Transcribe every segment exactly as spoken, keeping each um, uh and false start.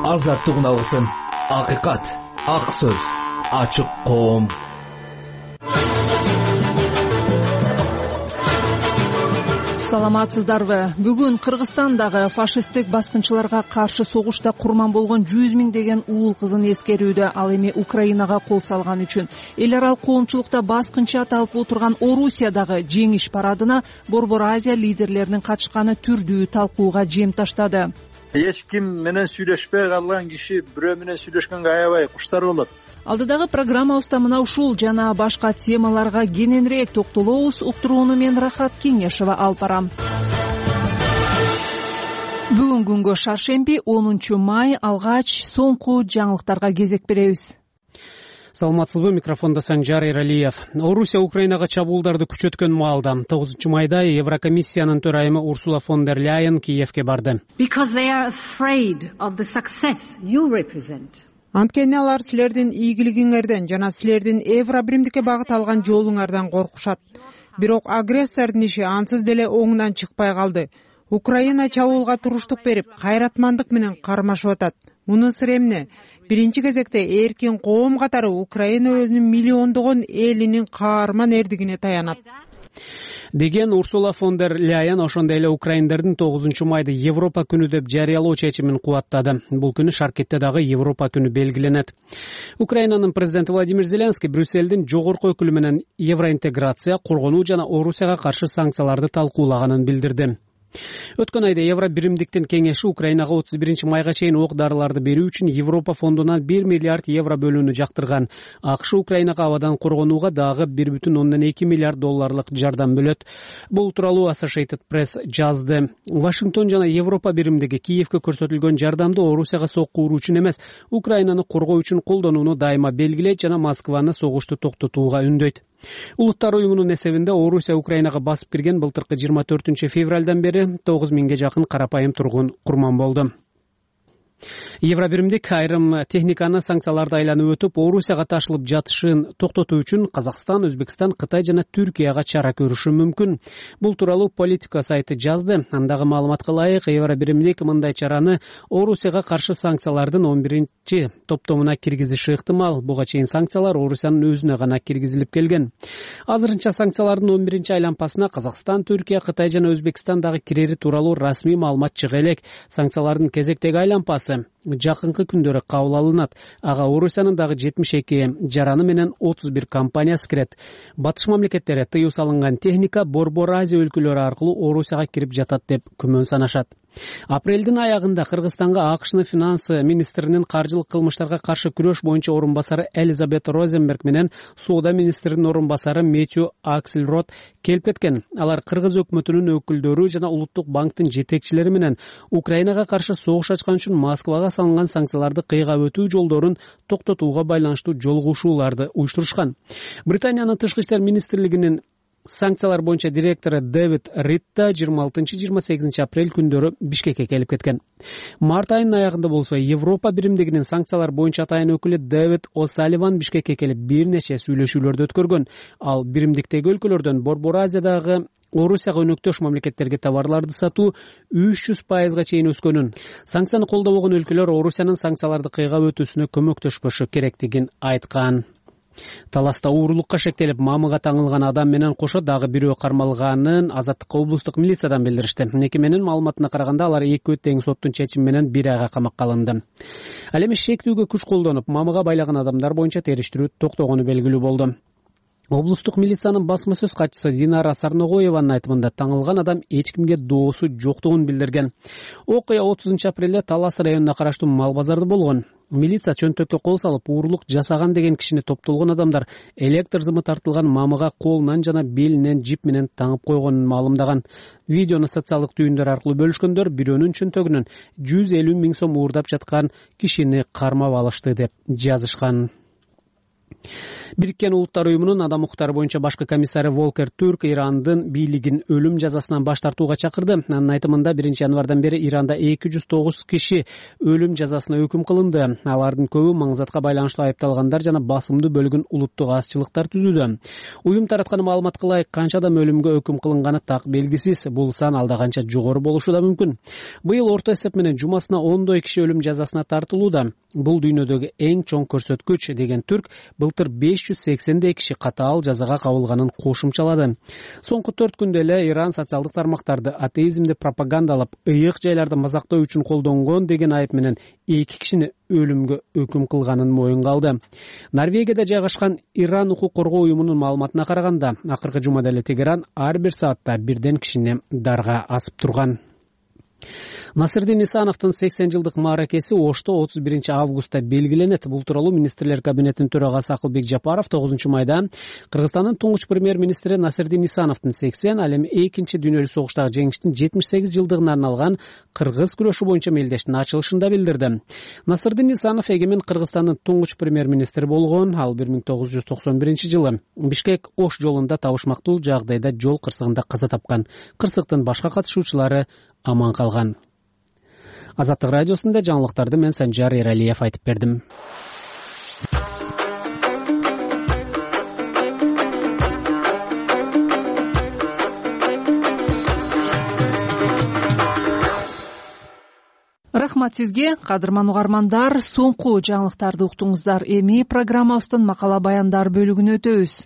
азаттык алгысың. Акыйкат, ак сөз, ачык коом. Саламатсыздарбы? Бүгүн Кыргызстандагы фашисттик баскынчыларга каршы согушта курман болгон жүз миңдеген уул кызын эскерүүдө, ал эми Украинага кол салган үчүн. Эл аралык коомчулукта баскынчы аталып отурган Орусиядагы жеңиш парадына Борбор Азия лидерлеринин катышканы түрдүү талкууга жем таштады. Эч ким менен сүйлөшпөй калган киши бирөө менен сүйлөшкөнгө аябай куштар болот. Алдыдагы программабызда мына ушул жана башка темаларга кененирээк токтолобуз. Уктурууну мен Рахат Кеңешова алып барам. Бүгүн күнгө шаршемби, онунчу май, алгач соңку жаңылыктарга кезек беребиз. Саламатсызбы, микрофондо Санжар Эралиев. Орусия Украинага чабуулдарды күчөткөн маалда тогузунчу майда Еврокомиссиянын төрайымы Урсула фон дер Ляйен Киевке барды. Анткени алар силердин ийгилигиңерден жана силердин Евро биримдикке багыт алган жолуңардан коркушат. Бирок агрессордун иши ансыз деле оңунан чыкпай калды. Украина чабуулга туруштук берип, кайратмандык менен кармашып атат. Мунун сыры эмне? Биринчи кезекте эркин коом катары Украина өзүнүн миллиондогон элинин каарман эрдигине таянат деген Урсула фон дер Ляйен ошондой эле украиндердин тогузунчу майды Европа күнү деп жарыялоо чечимин кубаттады. Бул күнү Шаркетте дагы Европа күнү белгиленет. Украинанын президенти Владимир Зеленский Брюссельдин жогорку өкүлү менен евроинтеграция, коргонуу жана Орусияга каршы санкцияларды талкуулаганын билдирди. Өткөн айда Евро биримдиктин кеңеши Украинага отуз биринчи майга чейин ок дарыларды берүү үчүн Европа фондунан бир миллиард евро бөлүүнү жактырган. АКШ Украинага абадан коргонууга дагы бир бүтүн ондон эки миллиард долларлык жардам бөлөт. Бул тууралуу Associated Press жазды. Вашингтон жана Европа биримдиги Киевке көрсөтүлгөн жардамды Орусияга сокку уруу үчүн эмес, Украинаны коргоо үчүн колдонууну дайыма белгилейт жана Москваны согушту токтотууга үндөйт. Улуттар уюмунун эсебинде Орусия Украинага басып кирген былтыркы жыйырма төртүнчү февралдан бери тогуз миңге жакын карапайым тургун курман болду. Евро биримдик айрым техниканы санкцияларды айланып өтүп, Орусияга ташылып жатышын токтотуу үчүн Казакстан, Өзбекстан, Кытай жана Түркияга чара көрүшү мүмкүн. Бул тууралуу Политика сайты жазды. Андагы маалыматка ылайык, Евро биримдик мындай чараны Орусияга каршы санкциялардын он биринчи топтомуна киргизиши ыктымал. Буга чейин санкциялар Орусиянын өзүнө гана киргизилип келген. Азырынча санкциялардын он биринчи айланпасына Казакстан, Түркия, Кытай жана Өзбекстан дагы кирери тууралуу расмий маалымат чыга элек. Санкциялардын кезектеги айланпасы жакынкы күндөрү кабыл алынат. Ага Орусиянын дагы жетимиш эки жараны менен отуз бир компаниясы кирет. Батыш мамлекеттери тыюу салынган техника Борбор Азия өлкөлөрү аркылуу Орусияга кирип жатат деп күмөн санашат. Апрелдин аягында Кыргызстанга АКШнын финанс министринин каржылык кылмыштарга каршы күрөш боюнча орун басары Элизабет Розенберг менен соода министринин орун басары Мэтью Аксельрод келип кеткен. Алар Кыргыз өкмөтүнүн өкүлдөрү жана Улуттук банктын жетекчилери менен Украинага каршы согуш ачкан үчүн Москвага салынган санкцияларды кыйгап өтүү жолдорун токтотууга байланыштуу жолугушууларды уюштурушкан. Британиянын тышкы иштер министрлигинин санкциялар боюнча директору Дэвид Ритта жыйырма алтынчы жыйырма сегизинчи апрель күндөрү Бишкекке келип кеткен. Март айынын аягында болсо Европа биримдигинин санкциялар боюнча атайын өкүлү Дэвид О'Салливан Бишкекке келип бир нече сүйлөшүүлөрдү өткөргөн. Ал биримдиктеги өлкөлөрдөн Борбор Азиядагы Орусияга өнөктөш мамлекеттерге товарларды сатуу үч жүз пайызга чейин өскөнүн, санкцияны колдобогон өлкөлөр Орусиянын санкцияларды кыйгап өтүүсүнө көмөктөшпөшү керектигин айткан. Таласта уурулукка шектелип мамыга таңылган адам менен кошо дагы бирөө кармалганын Азаттыкка облустук милициядан билдиришти. Мекеменин маалыматына караганда алар экөө тең соттун чечими менен бир айга камакка алынды. Ал эми шектүүгө күч колдонуп, мамыга байлаган адамдар боюнча териштирүү токтогону белгилүү болду. Облустук милициянын басма сөз катчысы Динара Сарногоеванын айтымында таңылган адам эч кимге доосу жоктугун билдирген. Окуя отузунчу апрелде Талас районуна караштуу мал базарда болгон. Милиция чөнтөккө кол салып, уурулук жасаган деген кишини топтолгон адамдар электр зымы тартылган мамыга колунан жана белинен жип менен таңып койгонун маалымдаган. Видеону социалдык түйүндөр аркылуу бөлүшкөндөр бирөөнүн чөнтөгүнөн жүз элүү миң сом уурдап жаткан кишини кармап алышты деп жазышкан. Бириккен Улуттар уюмунун адам укуктары боюнча башкы комиссары Волкер Турк Ирандын бийлигин өлүм жазасынан баш тартууга чакырды. Анын айтымында биринчи январдан бери Иранда эки жүз тогуз киши өлүм жазасына өкүм кылынды. Алардын көбү маңзатка байланыштуу айыпталгандар жана басымдуу бөлүгүн улуттук азчылыктар түзүүдө. Уюм тараткан маалыматка ылайык канча адам өлүмгө өкүм кылынганы так белгисиз. Бул сан алда канча жогору болушу да мүмкүн. Быйыл орто эсеп менен жумасына ондой киши өлүм жазасына тартылууда. Бул дүйнөдөгү эң чоң көрсөткүч деген Түрк былтыр беш жүз сексендей киши катаал жазага кабылганын кошумчалады. Соңку төрт күндө эле Иран социалдык тармактарды атеизмди пропагандалап, ыйык жайларды мазактоо үчүн колдонгон деген айып менен эки кишини өлүмгө өкүм кылганын моюнга алды. Норвегияда жайгашкан Иран укук коргоо уюмунун маалыматына караганда, акыркы жумада эле Тегеран ар бир саатта бирден кишини дарга асып турган. Насырдин Исановдун сексен жылдык мааракеси Ошто отуз биринчи августта белгиленет. Бул тууралуу министрлер кабинетинин төрагасы Акылбек Жапаров тогузунчу майда Кыргызстандын туңгуч премьер-министри Насырдин Исановдун сексен, ал эми экинчи дүйнөлүк согуштагы жеңиштин жетимиш сегиз жылдыгына арналган кыргыз күрөшү боюнча мелдештин ачылышында билдирди. Насырдин Исанов эгемен Кыргызстандын туңгуч премьер-министри болгон. Ал бир миң тогуз жүз токсон биринчи жылы Бишкек Ош жолунда табышмактуу жагдайда жол кырсыгында каза тапкан. Кырсыктын башка катышуучулары аман калган. Азаттык радиосунда жаңылыктарды мен Санжар Эралиев айтып бердим. Рахмат сизге, кадырман угармандар. Соңку жаңылыктарды уктуңуздар. Эми программабыздын макала баяндар бөлүгүнө өтөбүз.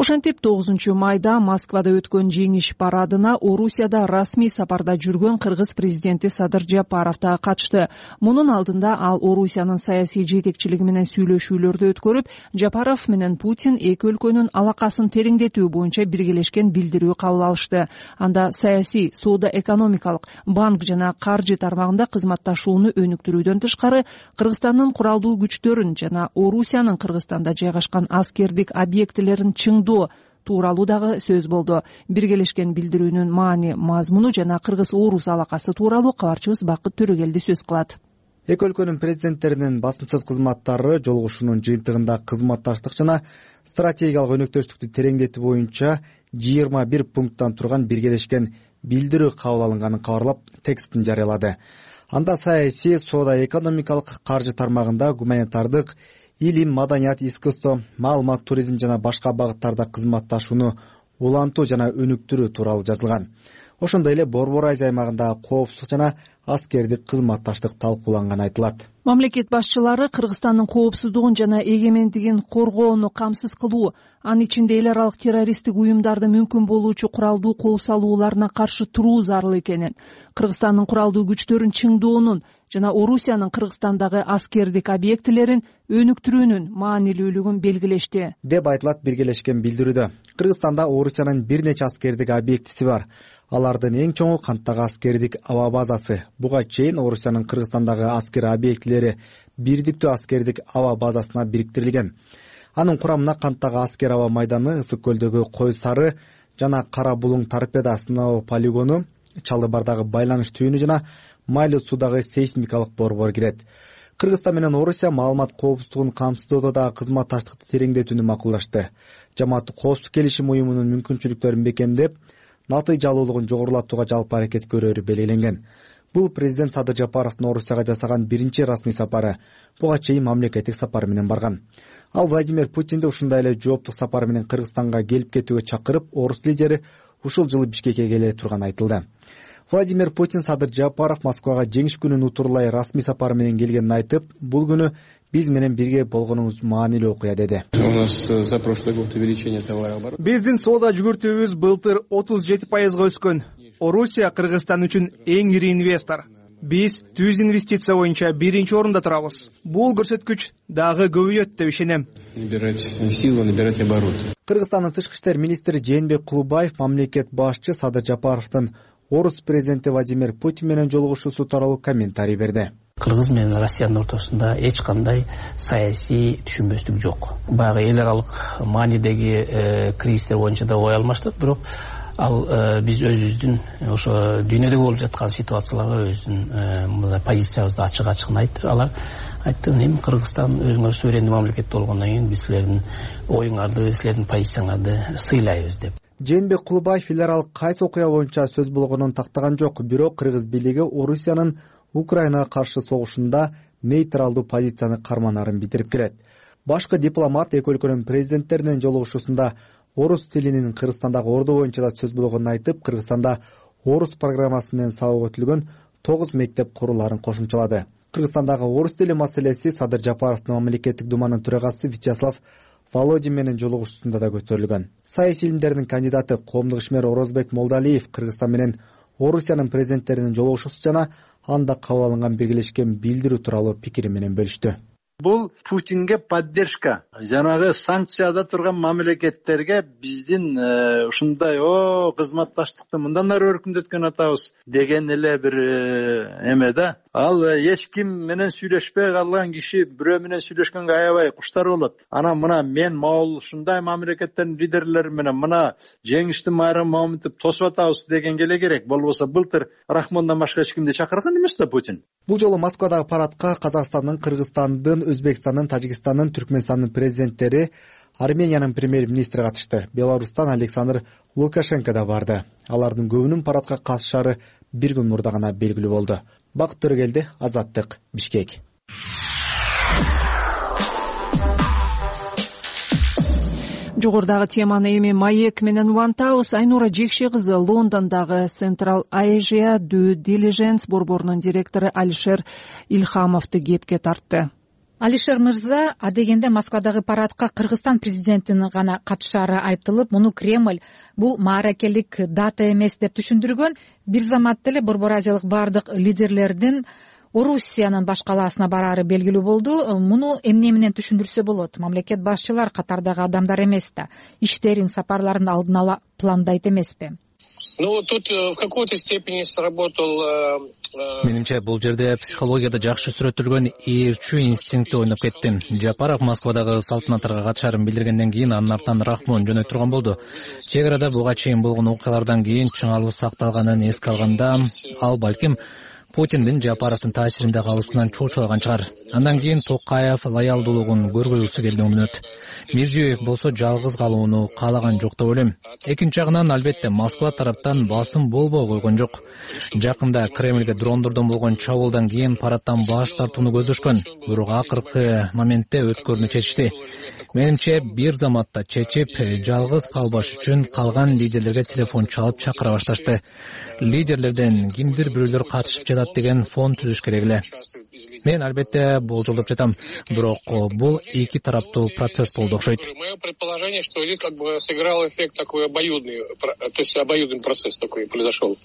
Ошентип тогузунчу майда Москвада өткөн жеңиш парадына Орусияда расмий сапарда жүргөн кыргыз президенти Садыр Жапаров да катышты. Мунун алдында ал Орусиянын саясий жетекчилиги менен сүйлөшүүлөрдү өткөрүп, Жапаров менен Путин эки өлкөнүн алакасын тереңдетүү боюнча биргелешкен билдирүү кабыл алышты. Анда саясий, соода-экономикалык, банк жана каржы тармагында кызматташууну өнүктүрүүдөн тышкары, Кыргызстандын куралдуу күчтөрүн жана Орусиянын Кыргызстанда жайгашкан аскердик объектилерин чыңдоо тууралуу дагы сөз болду. Биргелешкен билдирүүнүн маани, мазмуну жана кыргыз-орус алакасы тууралуу кабарчыбыз Бакыт Төрөгелди сөз кылат. Эки өлкөнүн президенттеринин басымсыз кызматтары жолугушуунун жыйынтыгында кызматташтык жана стратегиялык өнөктөштүктү тереңдетүү боюнча жыйырма бир пункттан турган биргелешкен билдирүү кабыл алынганын кабарлап, текстин жарыялады. Анда саясий, соода-экономикалык, каржы тармагында гуманитардык, илим, маданият, искусство, маалымат, туризм жана башка багыттарда кызматташууну улантуу жана өнүктүрүү тууралуу жазылган. Ошондой эле Борбор Азия аймагында коопсуздук жана аскердик кызматташтык талкууланганы айтылат. Мамлекет башчылары Кыргызстандын коопсуздугун жана эгемендигин коргоону камсыз кылуу, анын ичинде эл аралык террористтик уюмдарды мүмкүн болуучу куралдуу кол салууларына каршы туруу зарыл экенин, Кыргызстандын куралдуу күчтөрүн чыңдоонун жана Орусиянын Кыргызстандагы аскердик объектилерин өнүктүрүүнүн маанилүүлүгүн белгилешти, деп айтылат биргелешкен билдирүүдө. Кыргызстанда Орусиянын бир нече аскердик объектиси бар. Алардын эң чоңу Канттагы аскердик аба базасы. Буга чейин Орусиянын Кыргызстандагы аскер объектилери бирдиктүү аскердик аба базасына бириктирилген. Анын курамына Канттагы аскер аба майданы, Ысык көлдөгү Кой Сары жана Кара Булуң торпеда сыноо полигону, Чалы Бардагы байланыш түйүнү жана Майлы суудагы сейсмикалык борбор кирет. Кыргызстан менен Орусия маалымат коопсуздугун камсыздоодо да кызматташтыкты тереңдетүүнү макулдашты. Жамааттык коопсуздук келишим уюмунун мүмкүнчүлүктөрүн бекемдеп, натыйжалуулугун жогорулатууга жалпы аракет көрөөрү белгиленген. Бул президент Садыр Жапаровдун Орусияга жасаган биринчи расмий сапары. Буга чейин мамлекеттик сапар менен барган. Ал Владимир Путинди ушундай эле жооптук сапар менен Кыргызстанга келип кетүүгө чакырып, орус лидери ушул жылы Бишкекке келе турганы айтылды. Владимир Путин Садыр Жапаров Москвага жеңиш күнүн утурлай расмий сапар менен келгенин айтып, бул күнү биз менен бирге болгонуңуз маанилүү окуя деди. Биздин соода жүгүртүүбүз былтыр отуз жети пайызга өскөн. Орусия Кыргызстан үчүн эң ири инвестор. Биз түз инвестиция боюнча биринчи орунда турабыз. Бул көрсөткүч дагы көбөйөт деп ишенем. Кыргызстандын тышкы иштер министри Жээнбек Кулубаев мамлекет башчы Садыр Жапаровдун орус президенти Владимир Путин менен жолугушуусу тууралуу комментарий берди. Кыргыз менен Россиянын ортосунда эч кандай саясий түшүнбөстүк жок. Баягы эл аралык маанидеги кризистер боюнча да ой алмаштык, бирок ал биз өзүбүздүн ошо дүйнөдө болуп жаткан ситуацияларга өзүнүн мындай позициябызды ачык ачыгын айтты. Алар айтты, эми Кыргызстан өзүңөр суверендүү мамлекет болгондон кийин биз силердин оюңарды, силердин позицияңарды сыйлайбыз деп. Жээнбек Кулубаев эл аралык кайсы окуя боюнча сөз болгонун тактаган жок, бирок Кыргыз бийлиги Орусиянын Украинага каршы согушунда нейтралдуу позицияны карманарын билдирип келет. Башкы дипломат эки өлкөнүн президенттеринин жолугушуусунда орус тилинин Кыргызстандагы орду боюнча да сөз болгонун айтып, Кыргызстанда орус программасы менен сабак өтүлгөн тогуз мектеп курулаарын кошумчалады. Кыргызстандагы орус тили маселеси Садыр Жапаровдун мамлекеттик думанын төрагасы Вячеслав Володин менен жолугушуусунда да көтөрүлгөн. Саясий илимдердин кандидаты коомдук ишмер Орозбек Молдалиев Кыргызстан менен Орусиянын президенттеринин жолугушуусу жана анда кабыл алынган биргелешкен билдирүү тууралуу пикири менен бөлүштү. Бул Путинге поддержка. Жанагы санкцияда турган мамлекеттерге биздин ушундай о кызматташтыкты мындан ары өркүндөткөн атабыз деген эле бир эме да. Ал эч ким менен сүйлөшпөй калган киши бирөө менен сүйлөшкөнгө аябай куштар болот. Анан мына мен могул ушундай мамлекеттердин лидерлери менен мына жеңиштин майрамын момунтип тосуп атабыз дегенге эле керек. Болбосо былтыр Рахмондон башка эч кимди чакырган эмес да Путин. Бул жолу Москвадагы парадка Казакстандын, Кыргызстандын, Өзбекстандын, Тажикстандын, Түркмөнстандын президенттери, Армениянын премьер-министри катышты. Беларустан Александр Лукашенко да барды. Алардын көбүнүн парадка катышаары бир күн мурда гана белгилүү болду. Бакыт Төрөгелди, Азаттык, Бишкек. Жогорудагы теманы эми маек менен улантабыз. Айнура Жекше кызы Лондондогу Central Asia Due Diligence борборунун директору Алишер Илхамовду кепке тартты. Алишер мырза адегенде Москвадагы парадка Кыргызстан президентинин гана катышаары айтылып, муну Кремль бул мааракелик дата эмес деп түшүндүргөн. Бир заматта эле Борбор Азиялык бардык лидерлердин Орусиянын баш калаасына бараары белгилүү болду. Муну эмне менен түшүндүрсө болот? Мамлекет башчылар катардагы адамдар эмес да, иштерин, сапарларын алдын ала пландайт эмеспи? Ну, тут в какой-то степени сработал... Менимче, бул жерде психологияда жакшы сүрөттөлгөн ээрчүү инстинкти ойноп кетти. Жапаров Москвадагы салтанаттарга катышаарын билдиргенден кийин анын артынан Рахмон жөнөй турган болду. Чек арада буга чейин болгон окуялардан кийин чыңалуу сакталганын эске алганда, ал балким Путиндин Жапаровдун таасиринде калуусунан чоочулаган чыгар. Андан кийин Токаев лоялдуулугун көргөзгүсү келди мүнөт. Мирзиёев болсо жалгыз калууну каалаган жок деп ойлойм. Экинчи жагынан албетте Москва тараптан басым болбой койгон жок. Жакында Кремльге дрондордон болгон чабуулдан кийин парадтан баш тартууну көздөшкөн. Бирок акыркы моментте өткөрүүнү чечишти. Менимче, бир заматта чечип, жалгыз калбаш үчүн калган лидерлерге телефон чалып чакыра башташты. Лидерлерден кимдир бирөөлөр катышып жатат деген фон түзүш керек эле. Мен албетте болжолдоп жатам, бирок бул эки тараптуу процесс болду окшойт. Мое предположение, что здесь как бы сыграл эффект такой обоюдный, то есть обоюдный процесс такой произошел.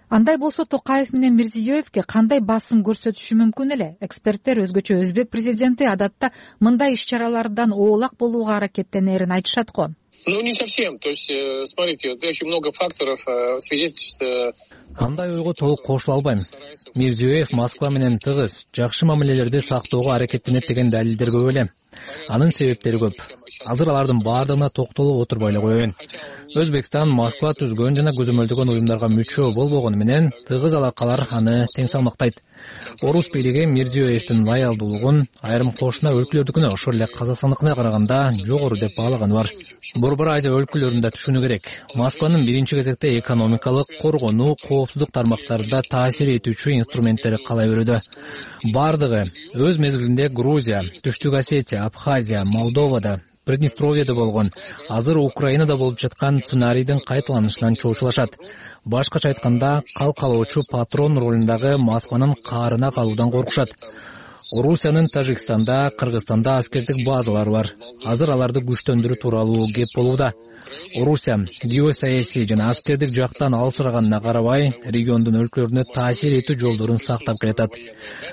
Андай болсо Токаев менен Мирзиёевке кандай басым көрсөтүшү мүмкүн эле? Эксперттер өзгөчө Өзбек президенти адатта мындай иш-чаралардан оолак болууга аракеттенерин айтышат го. Ну, не совсем. То есть, смотрите, очень много факторов свидетельствует. Андай ойго толук кошула албайм. Мирзиёев Москва менен тыгыз, жакшы мамилелерди сактоого аракеттенет деген далилдер көп эле. Анын себептери көп. Азыр алардын баардыгына токтолуп отурбай эле коеюн. Өзбекстан Москва түзгөн жана көзөмөлдөгөн уюмдарга мүчө болбогону менен тыгыз алакалар аны тең салмактайт. Орус бийлиги Мирзиёевдин лоялдуулугун айрым кошуна өлкөлөрдүкүнө, ошол эле Казакстандыкына караганда жогору деп баалаганы бар. Борбор Азия өлкөлөрүндө түшүнүү керек. Москванын биринчи кезекте экономикалык, коргонуу, коопсуздук тармактарында таасир этүүчү инструменттери кала берүүдө. Бардыгы өз мезгилинде Грузия, Түштүк Осетия, Абхазия, Молдовада, Приднестровьеде болгон, азыр Украинада болуп жаткан сценарийдин кайталанышынан чоочулашат. Башкача айтканда, калкалоочу патрон ролундагы Москванын каарына калуудан коркушат. Орусиянын Тажикстанда, Кыргызстанда аскердик базалары бар. Азыр аларды күчтөндүрүү тууралуу кеп болууда. Орусия геосаясий жана аскердик жактан алсыраганына карабай, региондун өлкөлөрүнө таасир этүү жолдорун сактап келатат.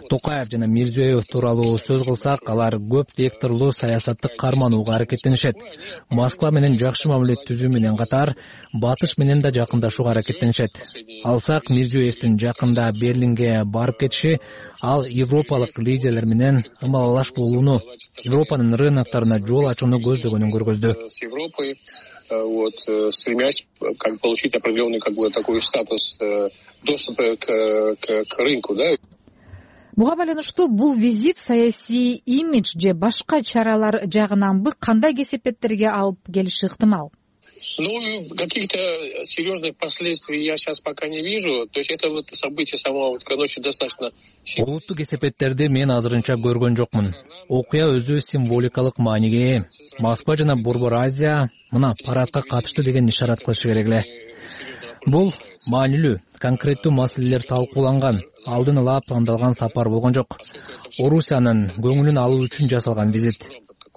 Токаев жана Мирзиёев тууралуу сөз кылсак, алар көп векторлуу саясатты карманууга аракеттенишет. Москва менен жакшы мамиле түзүү менен катар, батыш менен да жакындашууга аракеттенишет. Алсак, Мирзиёевдин жакында Берлинге барып кетиши, ал европалык лидерлер менен ымалалаш болууну, Европанын рыноктарына жол ачууну көздөгөнүн көргөздү. вот, стремясь как получить определенный как бы такой статус доступа к, к, к рынку, да. Буга байланыштуу бул визит саясий имидж же башка чаралар жагынанбы кандай кесепеттерге алып келиши ыктымал? Ну, каких-то серьезных последствий я сейчас пока не вижу. То есть это вот событие самого вот ночи достаточно... Олуттуу кесепеттерди мен азырынча көргөн жокмун. Окуя өзү символикалык мааниге ээ. Москва жана Борбор Азия мына парадка катышты деген ишарат кылышы керек эле. Бул маанилүү, конкреттүү маселелер талкууланган, алдын ала пландалган сапар болгон жок. Орусиянын көңүлүн алуу үчүн жасалган визит.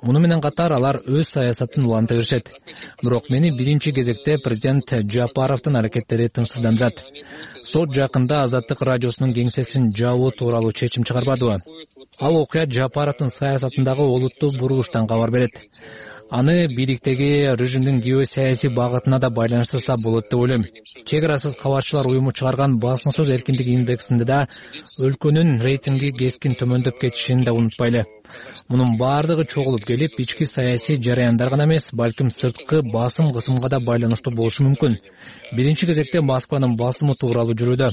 Муну менен катар алар өз саясатын уланта беришет. Бирок мени биринчи кезекте президент Жапаровдун аракеттери тынчсыздандырат. Сот жакында Азаттык радиосунун кеңсесин жабуу тууралуу чечим чыгарбадыбы? Ал окуя Жапаровдун саясатындагы олуттуу бурулуштан кабар берет. Аны бийликтеги режимдин геосаясий багытына да байланыштырса болот деп ойлойм. Чек арасыз кабарчылар уюму чыгарган басма сөз эркиндиги индексинде да өлкөнүн рейтинги кескин төмөндөп кетишин да унутпайлы. Мунун баардыгы чогулуп келип, ички саясий жараяндар гана эмес, балким сырткы басым кысымга да байланыштуу болушу мүмкүн. Биринчи кезекте Москванын басымы тууралуу жүрүүдө.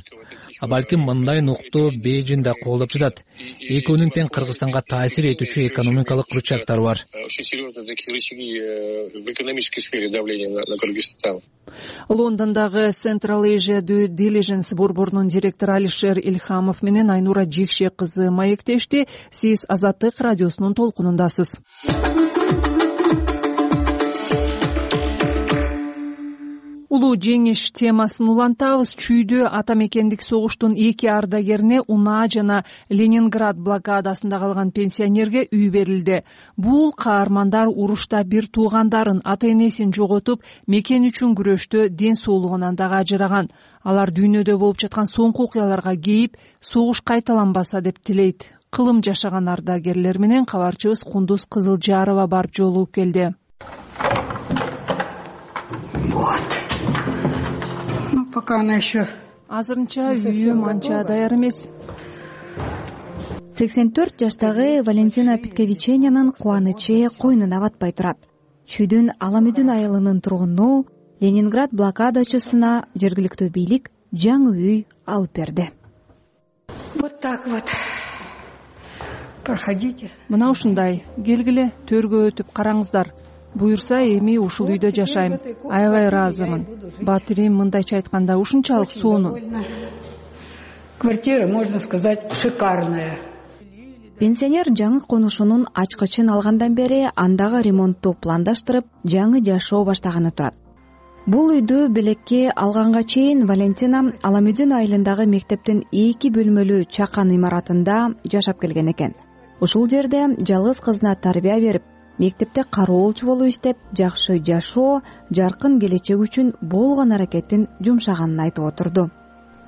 А балким мындай нукту Бейжин да колдоп жатат. Экөөнүн тең Кыргызстанга таасир этүүчү экономикалык рычагдары бар. Очень серьезные такие рычаги в экономической сфере давления на, на Кыргызстан. Лондондогу Central Asia Due Diligence борборунун директору Алишер Ильхамов менен Айнура Жекше кызы маектешти. Сиз Азаттык радиосунун толкунундасыз. Улуу жеңиш темасын улантабыз. Чүйдө ата мекендик согуштун эки ардагерине унаа жана Ленинград блокадасында калган пенсионерге үй берилди. Бул каармандар урушта бир туугандарын, ата энесин жоготуп, мекен үчүн күрөштө ден соолугунан дагы ажыраган. Алар дүйнөдө болуп жаткан соңку окуяларга кейип, согуш кайталанбаса деп тилейт. Кылым жашаган ардагерлер менен кабарчыбыз Кундуз Кызылжарова барып жолугуп келди. Пока она еще... Азырынча үйүм анча даяр эмес. сексен төрт жаштагы Валентина Питковиченянын кубанычы койнуна батпай турат. Чүйдүн Аламүдүн айылынын тургуну Ленинград блокадачысына жергиликтүү бийлик жаңы үй алып берди. Вот так вот. Проходите. Мына ушундай, келгиле, төргө өтүп караңыздар. Буюрса эми ушул үйдө жашайм. Аябай ыраазымын. Батирим мындайча айтканда ушунчалык сонун. Квартира, можно сказать, шикарная. Пенсионер жаңы конушунун ачкычын алгандан бери андагы ремонтту пландаштырып, жаңы жашоо баштаганы турат. Бул үйдү белекке алганга чейин Валентина Аламүдүн айылындагы мектептин эки бөлмөлүү чакан имаратында жашап келген экен. Ушул жерде жалгыз кызына тарбия берип, мектепте кароолчу болуп иштеп, жакшы жашоо, жаркын келечек үчүн болгон аракетин жумшаганын айтып отурду.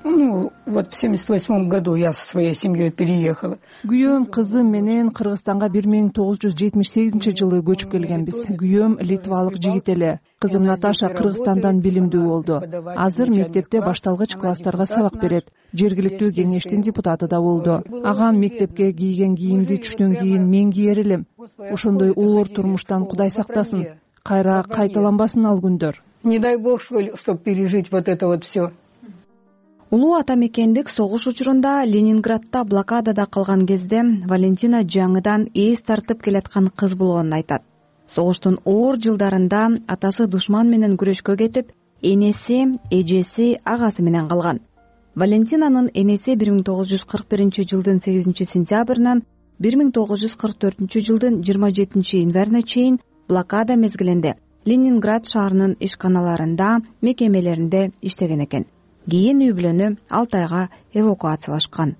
Ну, вот в семьдесят восьмом году я со своей семьей переехала. Күйөөм кызым менен Кыргызстанга бир миң тогуз жүз жетимиш сегизинчи жылы көчүп келгенбиз. Күйөөм литвалык жигит эле. Кызым Наташа Кыргызстандан билимдүү болду. Азыр мектепте башталгыч класстарга сабак берет. Жергиликтүү кеңештин депутаты да болду. Агам мектепке кийген кийимди түштөн кийин мен кийер элем. Ошондой оор турмуштан Кудай сактасын. Кайра кайталанбасын ал күндөр. Не дай бог, чтобы пережить вот это вот все. Улуу ата мекендик согуш учурунда Ленинградда блокадада калган кезде Валентина жаңыдан эс тартып келаткан кыз болгонун айтат. Согуштун оор жылдарында атасы душман менен күрөшкө кетип, энеси, эжеси, агасы менен калган. Валентинанын энеси бир миң тогуз жүз кырк биринчи жылдын сегизинчи сентябрынан бир миң тогуз жүз кырк төртүнчү жылдын жыйырма жетинчи январына чейин блокада мезгилинде Ленинград шаарынын ишканаларында, мекемелеринде иштеген экен. Кийин үй бүлөнү Алтайга эвакуациялашкан.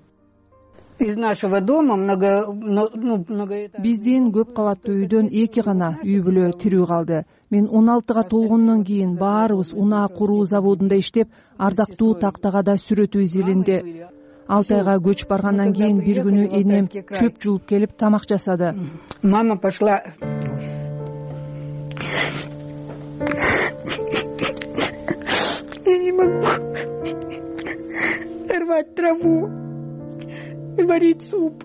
Из нашего дома много, много... Биздин көп кабаттуу үйдөн эки гана үй бүлө тирүү калды. Мен он алтыга толгондон кийин баарыбыз унаа куруу заводунда иштеп, ардактуу тактага да сүрөтүбүз изилинди. Алтайга көчүп баргандан кийин бир күнү энем чөп жуулуп келип тамак жасады. Мама пошла. Я не могу рвать траву и варить суп.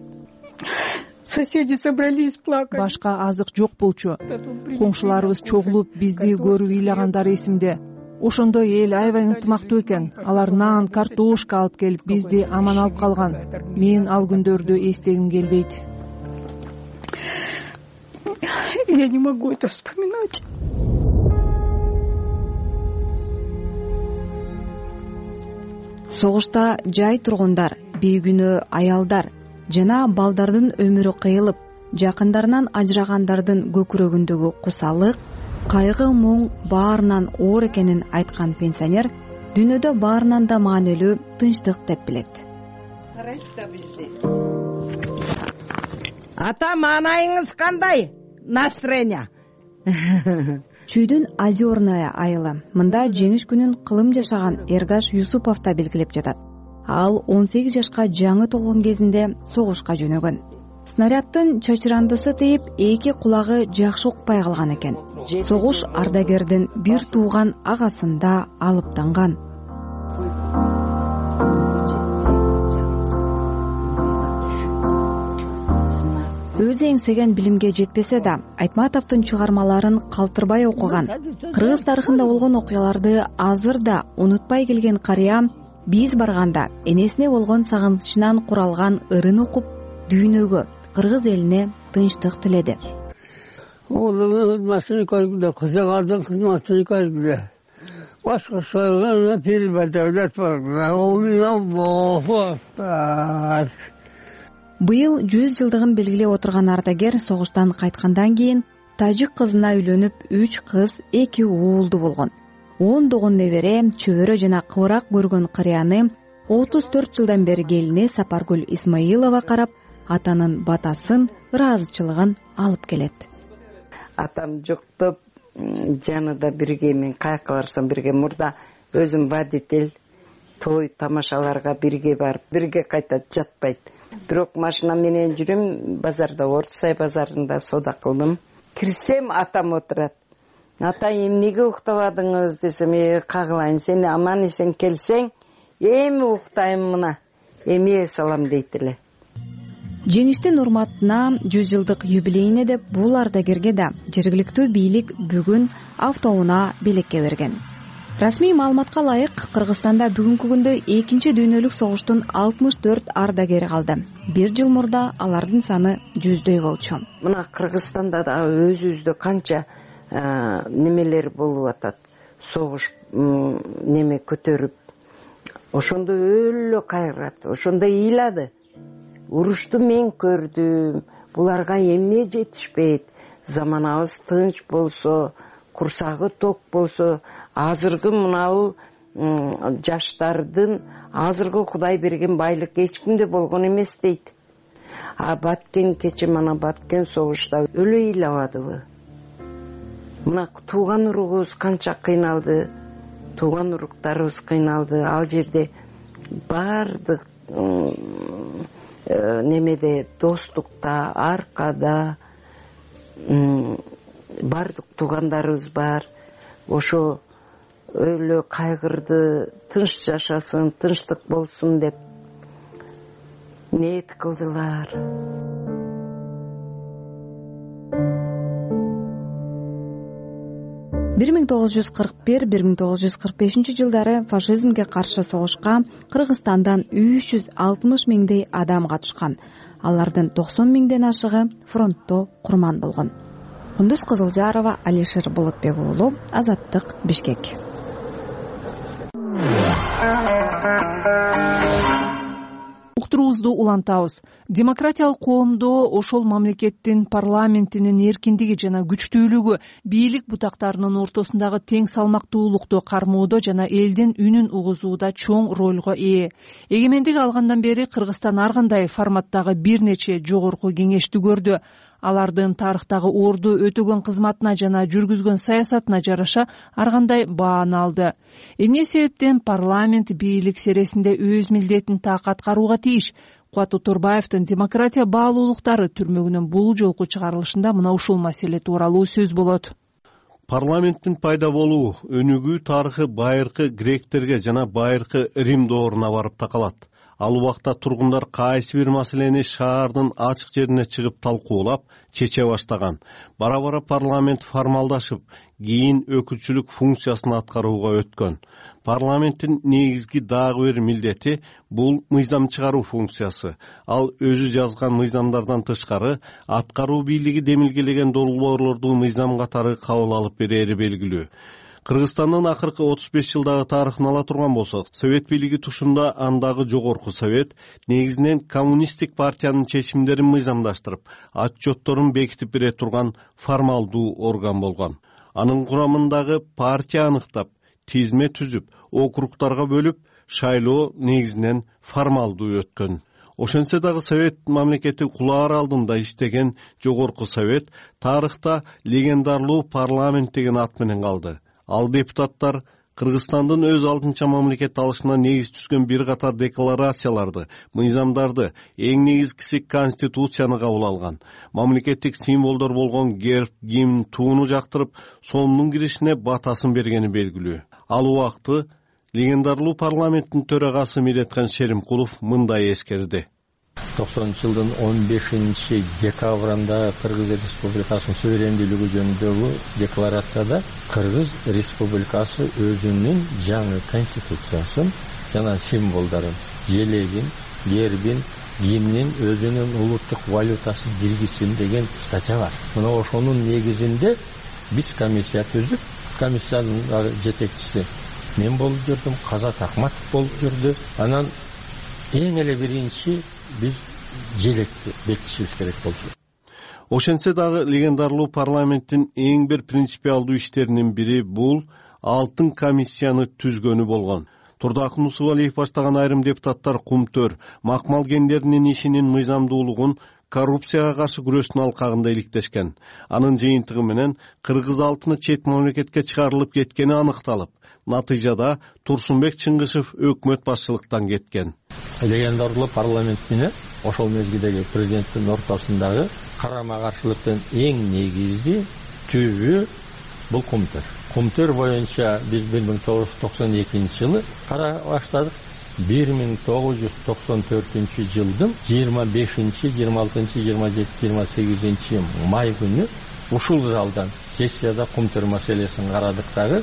Соседи собрались плакать. Башка азык жок болчу. Коңшуларыбыз чогулуп бизди көрүп ыйлагандары эсимде. Ошондой эл аябай ынтымактуу экен. Алар нан, картошка алып келип бизди аман алып калган. Мен ал күндөрдү эстегим келбейт. Я не могу это вспоминать. Согушта жай тургундар, бейгүнөө аялдар жана балдардын өмүрү кыйылып, жакындарынан ажырагандардын көкүрөгүндөгү кусалык, кайгы, муң баарынан оор экенин айткан пенсионер дүйнөдө баарынан да маанилүү тынчтык деп билет. Ата, маанайыңыз кандай? Настроение. Чүйдүн Озерная айылы. Мында жеңиш күнүн кылым жашаган Эргаш Юсупов да белгилеп жатат. Ал он сегиз жашка жаңы толгон кезинде согушка жөнөгөн. Снаряддын чачырандысы тийип, эки кулагы жакшы укпай калган экен. Согуш ардагердин бир тууган агасында алыптанган. Өзү эңсеген билимге жетпесе да, Айтматовдун чыгармаларын калтырбай окуган, кыргыз тарыхында болгон окуяларды азыр да унутпай келген карыя биз барганда энесине болгон сагынычынан куралган ырын окуп, дүйнөгө, кыргыз элине тынчтык тиледи. Оолуңун кызматын көргүлө, кызыгардын кызматын көргүлө. Башка союлган пирбе devlet бар. Аллаху акбар. Быйыл жүз жылдыгын белгилеп отурган ардагер согуштан кайткандан кийин тажик кызына үйлөнүп, үч кыз, эки уулду болгон. он догон небере, чөбөрө жана кыбырак көргөн карыяны отуз төрт жылдан бери келине Сапаргүл Исмаилова карап, атанын батасын, ыраазычылыгын алып келет. Атам жоктоп, жанында бирге, мен каяка барсам бирге, мурда өзүм водитель, той тамашаларга бирге барып, бирге кайтат, жатпайт. Бирок машина менен жүрөм, базарда, Ордусай базарында соода кылдым. Кирсем, атам отурат. Ата, эмнеге уктабадыңыз десем, кагылайын, сен аман эсен келсең, эми уктайм мына, эме салам дейт эле. Жеңиштин урматына жүз жылдык юбилейине деп бул ардагерге да жергиликтүү бийлик бүгүн автоунаа белекке берген. Расмий маалыматка ылайык, Кыргызстанда бүгүнкү күндө экинчи дүйнөлүк согуштун алтымыш төрт ардагери калды. Бир жыл мурда алардын саны жүздөй болчу. Мына Кыргызстанда да өзүбүздө канча немелер болуп атат. Согуш неме көтөрүп, ошондо өлө кайрат, ошондо ыйлады. Урушту мен көрдүм, буларга эмне жетишпейт. Заманабыз тынч болсо, курсагы ток болсо, азыркы мынау жаштардын азыркы Кудай берген байлык эч кимде болгон эмес дейт. А Баткен кече мана Баткен согушта өлө ыйлабадыбы? Мына тууган уругубуз канча кыйналды, тууган уруктарыбыз кыйналды. Ал жерде бардык немеде, достукта, аркада бардык туугандарыбыз бар. Ошо өлө кайгырды, тынч жашасын, тынчтык болсун деп ниет кылдылар. бир миң тогуз жүз кырк бир — бир миң тогуз жүз кырк бешинчи жылдары фашизмге каршы согушка Кыргызстандан үч жүз алтымыш миңдей адам катышкан. Алардын токсон миңден ашыгы фронтто курман болгон. Кундуз Кызылжарова, Алишер Болотбек уулу, Азаттык, Бишкек. Уктуруубузду улантабыз. Демократиялык коомдо ошол мамлекеттин парламентинин эркиндиги жана күчтүүлүгү, бийлик бутактарынын ортосундагы тең салмактуулукту кармоодо жана элдин үнүн угузууда чоң ролго ээ. Эгемендик алгандан бери Кыргызстан ар кандай форматтагы бир нече жогорку кеңешти көрдү. Алардын тарыхтагы орду өтөгөн кызматына жана жүргүзгөн саясатына жараша ар кандай бааны алды. Эмне себептен парламент бийлик сересинде өз милдетин так аткарууга тийиш? Кубат Оторбаевдин демократия баалуулуктары түрмөгүнүн бул жолку чыгарылышында мына ушул маселе тууралуу сөз болот. Парламенттин пайда болуу өнүгүү тарыхы байыркы гректерге жана байыркы Рим дооруна барып такалат. Ал убакта тургундар кайсы бир маселени шаардын ачык жерине чыгып талкуулап чече баштаган. Бара бара парламент формалдашып, кийин өкүлчүлүк функциясын аткарууга өткөн. Парламенттин негизги дагы бир милдети бул мыйзам чыгаруу функциясы. Ал өзү жазган мыйзамдардан тышкары аткаруу бийлиги демилгелеген долбоорлорду мыйзам катары кабыл алып берери белгилүү. Кыргызстандын акыркы отуз беш жылдагы тарыхын ала турган болсок, Совет бийлиги тушунда андагы жогорку совет негизинен коммунисттик партиянын чечимдерин мыйзамдаштырып, отчетторун бекитип бере турган формалдуу орган болгон. Анын курамындагы партия аныктап, тизме түзүп, округтарга бөлүп, шайлоо негизинен формалдуу өткөн. Ошентсе дагы Совет мамлекети кулаар алдында иштеген жогорку совет тарыхта легендарлуу парламент деген ат менен калды. Ал депутаттар Кыргызстандын өз алтынча мамлекет алышына негиз түзгөн бир катар декларацияларды, мыйзамдарды, эң негизгиси конституцияны кабыл алган. Мамлекеттик символдор болгон герб, гимн, тууну жактырып, сомдун киришине батасын бергени белгилүү. Ал убакты легендарлуу парламенттин төрагасы Медетхан Шеримкулов мындай эскерди. токсонунчу жылдын он бешинчи декабрында Кыргыз Республикасынын суверендүүлүгү жөнүндөгү декларацияда Кыргыз Республикасы өзүнүн жаңы конституциясын жана символдорун, желегин, гербин, гимнин, өзүнүн улуттук валютасын киргизсин деген статья бар. Мына ошонун негизинде биз комиссия түзүп, комиссиянын жетекчиси мен болуп жүрдүм, Казат Акматов болуп жүрдү. Анан эң эле биринчи биз желекти бекитишибиз керек болчу. Ошентсе дагы легендарлуу парламенттин эң бир принципиалдуу иштеринин бири бул алтын комиссияны түзгөнү болгон. Турдакын Нусубалиев баштаган айрым депутаттар кумтөр, макмал кендеринин ишинин мыйзамдуулугун коррупцияга каршы күрөштүн алкагында иликтешкен. Анын жыйынтыгы менен кыргыз алтыны чет мамлекетке чыгарылып кеткени аныкталып, натыйжада Турсунбек Чыңгышев өкмөт башчылыктан кеткен. Легендарлуу парламент менен ошол мезгилдеги президенттин ортосундагы карама каршылыктын эң негизги түбү бул кумтөр. Кумтөр боюнча биз бир миң тогуз жүз токсон экинчи жылы кара баштадык. бир миң тогуз жүз токсон төртүнчү жылдын жыйырма бешинчи, жыйырма алтынчы, жыйырма жетинчи, жыйырма сегизинчи май күнү ушул залдан сессияда кумтөр маселесин карадык дагы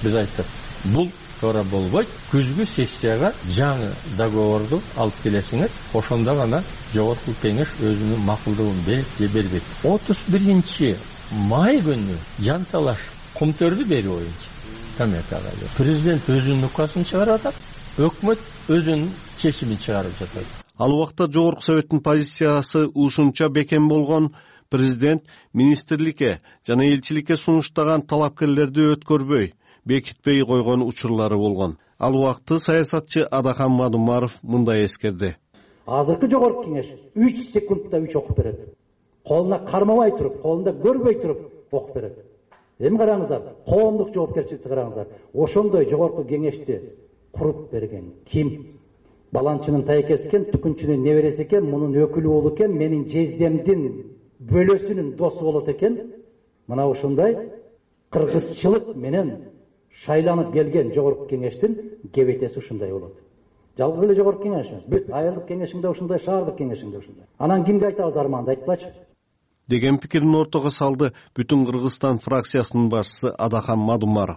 биз айттык, бул туура болбойт, күзгү сессияга жаңы договорду алып келесиңер, ошондо гана жогорку кеңеш өзүнүн макулдугун берет же бербейт. отуз биринчи май күнү жанталаш кумтөрдү берүү боюнча коммерцияга президент өзүнүн указын чыгарып атат, өкмөт өзүнүн чечимин чыгарып жатат. Ал убакта жогорку советтин позициясы ушунча бекем болгон, президент министрликке жана элчиликке сунуштаган талапкерлерди өткөрбөй, бекитпей койгон учурлары болгон. Ал убакты саясатчы Адахан Мадумаров мындай эскерди. Азыркы жогорку кеңеш үч секундта үч окуп берет. Колуна кармабай туруп, колунда көрбөй туруп окуп берет. Эми караңыздар, коомдук жоопкерчиликти караңыздар. Ошондой жогорку кеңешти куруп берген ким? Баланчынын тайкеси экен, түкүнчүнүн небереси экен, мунун өкүлү уулу экен, менин жездемдин бөлөсүнүн досу болот экен. Мына ушундай кыргызчылык менен шайланып келген жогорку кеңештин кебетеси ушундай болот. Жалгыз эле жогорку кеңеш эмес, бүт айылдык кеңешиңде ушундай, шаардык кеңешиңде ушундай. Анан кимге айтабыз арманды айтпачы? Деген пикирин ортого салды Бүтүн Кыргызстан фракциясынын башчысы Адахан Мадумаров.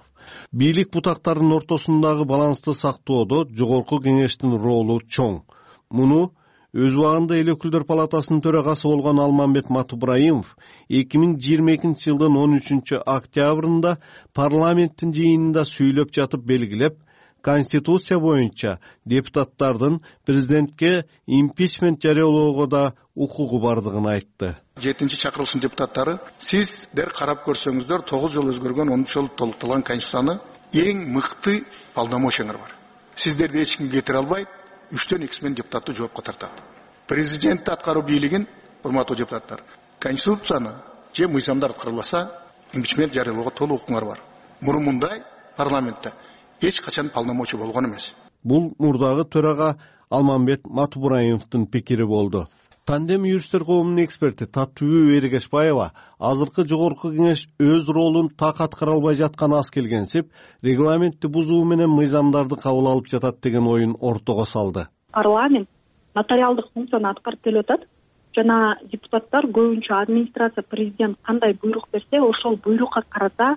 Бийлик бутактарынын ортосундагы балансты сактоодо жогорку кеңештин ролу чоң. Муну өз убагында эл өкүлдөр палатасынын төрагасы болгон Алмамбет Матубраимов эки миң жыйырма экинчи жылдын он үчүнчү октябрында парламенттин жыйынында сүйлөп жатып белгилеп, Конституция боюнча депутаттардын президентке импичмент жарыялоого да укугу бардыгын айтты. жетинчи чакырылыштын депутаттары, сиздер карап көрсөңүздөр, тогуз жолу өзгөргөн, он үч жолу толукталган Конституцияны эң мыкты полномочияңар бар. Сиздерди эч ким кетире албайт, үчтөн экиси менен депутатты жоопко тартат. Президентти аткаруу бийлигин, урматтуу депутаттар, Конституцияны же мыйзамдар аткарылбаса, импичмент жарыялоого толук укуңар бар. Мурун мындай парламентте эч качан полномочия болгон эмес. Бул мурдагы төрага Алмамбет Матубраимовдун пикири болду. Тандем юристтер коомунун эксперти Таттыбү Эргешбаева азыркы жогорку кеңеш өз ролун так аткара албай жатканы аз келгенсип, регламентти бузуу менен мыйзамдарды кабыл алып жатат деген оюн ортого салды. парламент нотариалдык функцияны аткарып келип атат жана депутаттар көбүнчө администрация, президент кандай буйрук берсе ошол буйрукка карата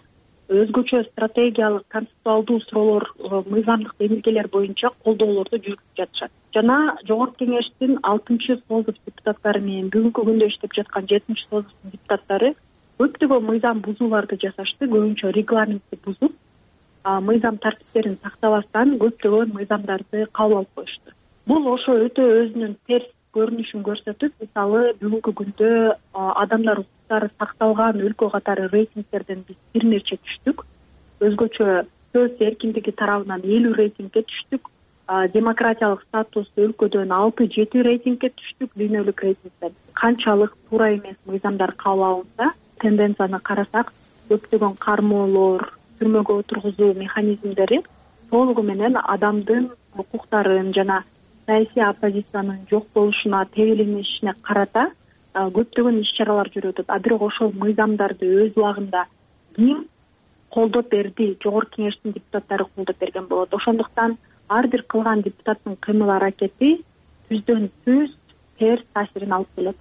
өзгөчө стратегиялык концептуалдуу суроолор, мыйзамдык демилгелер боюнча колдоолорду жүргүзүп жатышат. Жана жогорку кеңештин алтынчы созыш депутаттары менен бүгүнкү күндө иштеп жаткан жетинчи созыштын депутаттары көптөгөн мыйзам бузууларды жасашты, көбүнчө регламентти бузуп, мыйзам тартиптерин сактабастан көптөгөн мыйзамдарды кабыл алып коюшту. Бул ошо өтө өзүнүн терс көрүнүшүн көрсөтүп, мисалы бүгүнкү күндө адамдар укуктары сакталган өлкө катары рейтингтерден биз бир нече түштүк. Өзгөчө сөз эркиндиги тарабынан элүү рейтингге түштүк. Демократиялык статус өлкөдөн алты жети рейтингге түштүк дүйнөлүк рейтингден. Канчалык туура эмес мыйзамдар кабыл алынса, тенденцияны карасак, көптөгөн кармоолор, түрмөгө отургузуу механизмдери толугу менен адамдын укуктарын жана саясий оппозициянын жок болушуна, тебеленишине карата көптөгөн иш-чаралар жүрүп атат. А бирок ошол мыйзамдарды өз убагында ким колдоп берди? Жогорку кеңештин депутаттары колдоп берген болот. Ошондуктан ар бир кылган депутаттын кыймыл аракети түздөн түз терс таасирин алып келет.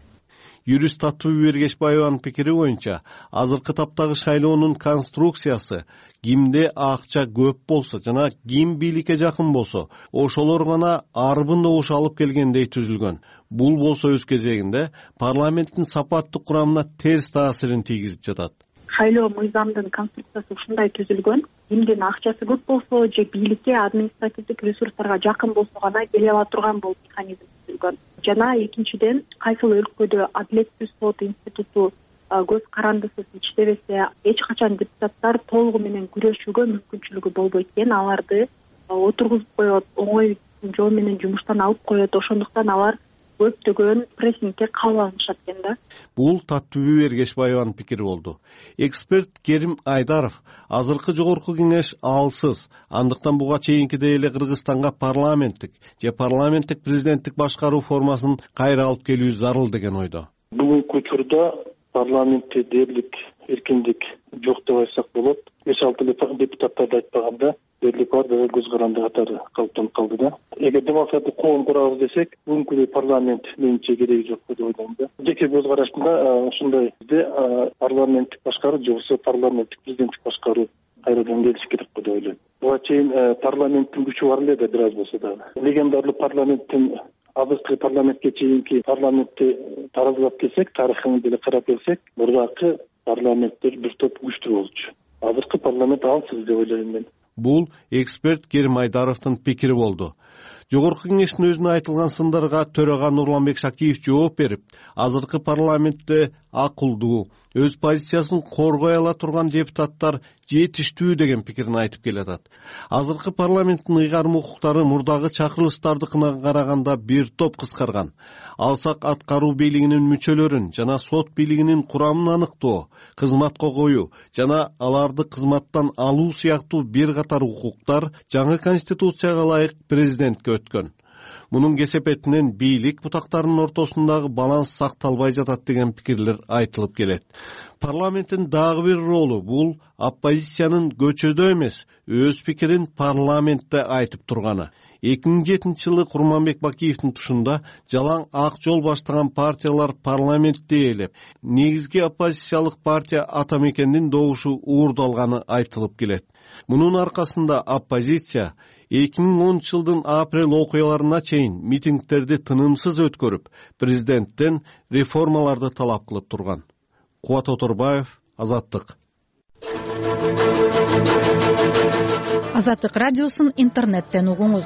Юрист Татыбү Эргешбаеванын пикири боюнча, азыркы таптагы шайлоонун конструкциясы кимде акча көп болсо жана ким бийликке жакын болсо, ошолор гана арбын добуш алып келгендей түзүлгөн. Бул болсо өз кезегинде парламенттин сапаттык курамына терс таасирин тийгизип жатат. Шайлоо мыйзамдын конструкциясы ушундай түзүлгөн. Кимдин акчасы көп болсо же бийликке, административдик ресурстарга жакын болсо гана келе ала турган болуп механизм түзүлгөн. Жана экинчиден, кайсыл өлкөдө адилеттүү сот институту көз карандысыз иштебесе, эч качан депутаттар толугу менен күрөшүүгө мүмкүнчүлүгү болбойт экен. Аларды отургузуп коет, оңой жол менен жумуштан алып коет. Ошондуктан алар көптөгөн прессингге кабыл алышат экен да. Бул Татыбү Эргешбаеванын пикири болду. Эксперт Керим Айдаров азыркы жогорку кеңеш алсыз, андыктан буга чейинкидей эле Кыргызстанга парламенттик же парламенттик президенттик башкаруу формасын кайра алып келүү зарыл деген ойдо. Бүгүнкү учурда парламентте дээрлик, эркиндик жок деп айтсак болот. беш алты депутаттарды айтпаганда дээрлик бар дагы көз каранды катары калыптанып калды да. Эгер демократик коом курабыз десек, бүгүнкү парламент менимче кереги жок деп ойлойм да. Жеке көз карашымда ушундай бизде парламенттик башкаруу же болбосо парламенттик президенттик башкаруу кайрадан келиш керек деп ойлойм. Буга чейин парламенттин күчү бар эле да бир аз болсо дагы. Легендарлуу парламенттин азыркы парламентке чейинки парламентти таразылап келсек, тарыхын деле карап келсек, мурдакы парламенттер бир топ күчтүү болчу. Азыркы парламент алсыз деп ойлойм мен. Бул эксперт Керим Айдаровдун пикири болду. Жогорку кеңештин өзүнө айтылган сындарга төрага Нурланбек Шакиев жооп берип, азыркы парламентте акылдуу, өз позициясын коргой ала турган депутаттар жетиштүү деген пикирин айтып келатат. Азыркы парламенттин ыйгарым укуктары мурдагы чакырылыштардыкына караганда бир топ кыскарган. Алсак аткаруу бийлигинин мүчөлөрүн жана сот бийлигинин курамын аныктоо, кызматка коюу жана аларды кызматтан алуу сыяктуу бир катар укуктар жаңы конституцияга ылайык президентке өткөн. Мунун кесепетинен бийлик бутактарынын ортосундагы баланс сакталбай жатат деген пикирлер айтылып келет. Парламенттин дагы бир ролу бул оппозициянын көчөдө эмес, өз пикирин парламентте айтып турганы. эки миң жетинчи жылы Курманбек Бакиевдин тушунда жалаң ак жол баштаган партиялар парламентте ээлеп, негизги оппозициялык партия Ата Мекендин добушу уурдалганы айтылып келет. Мунун аркасында оппозиция эки миң онунчу жылдын апрель окуяларына чейин митингдерди тынымсыз өткөрүп, президенттен реформаларды талап кылып турган. Кубат Оторбаев, Азаттык. Азаттык радиосун интернеттен угуңуз.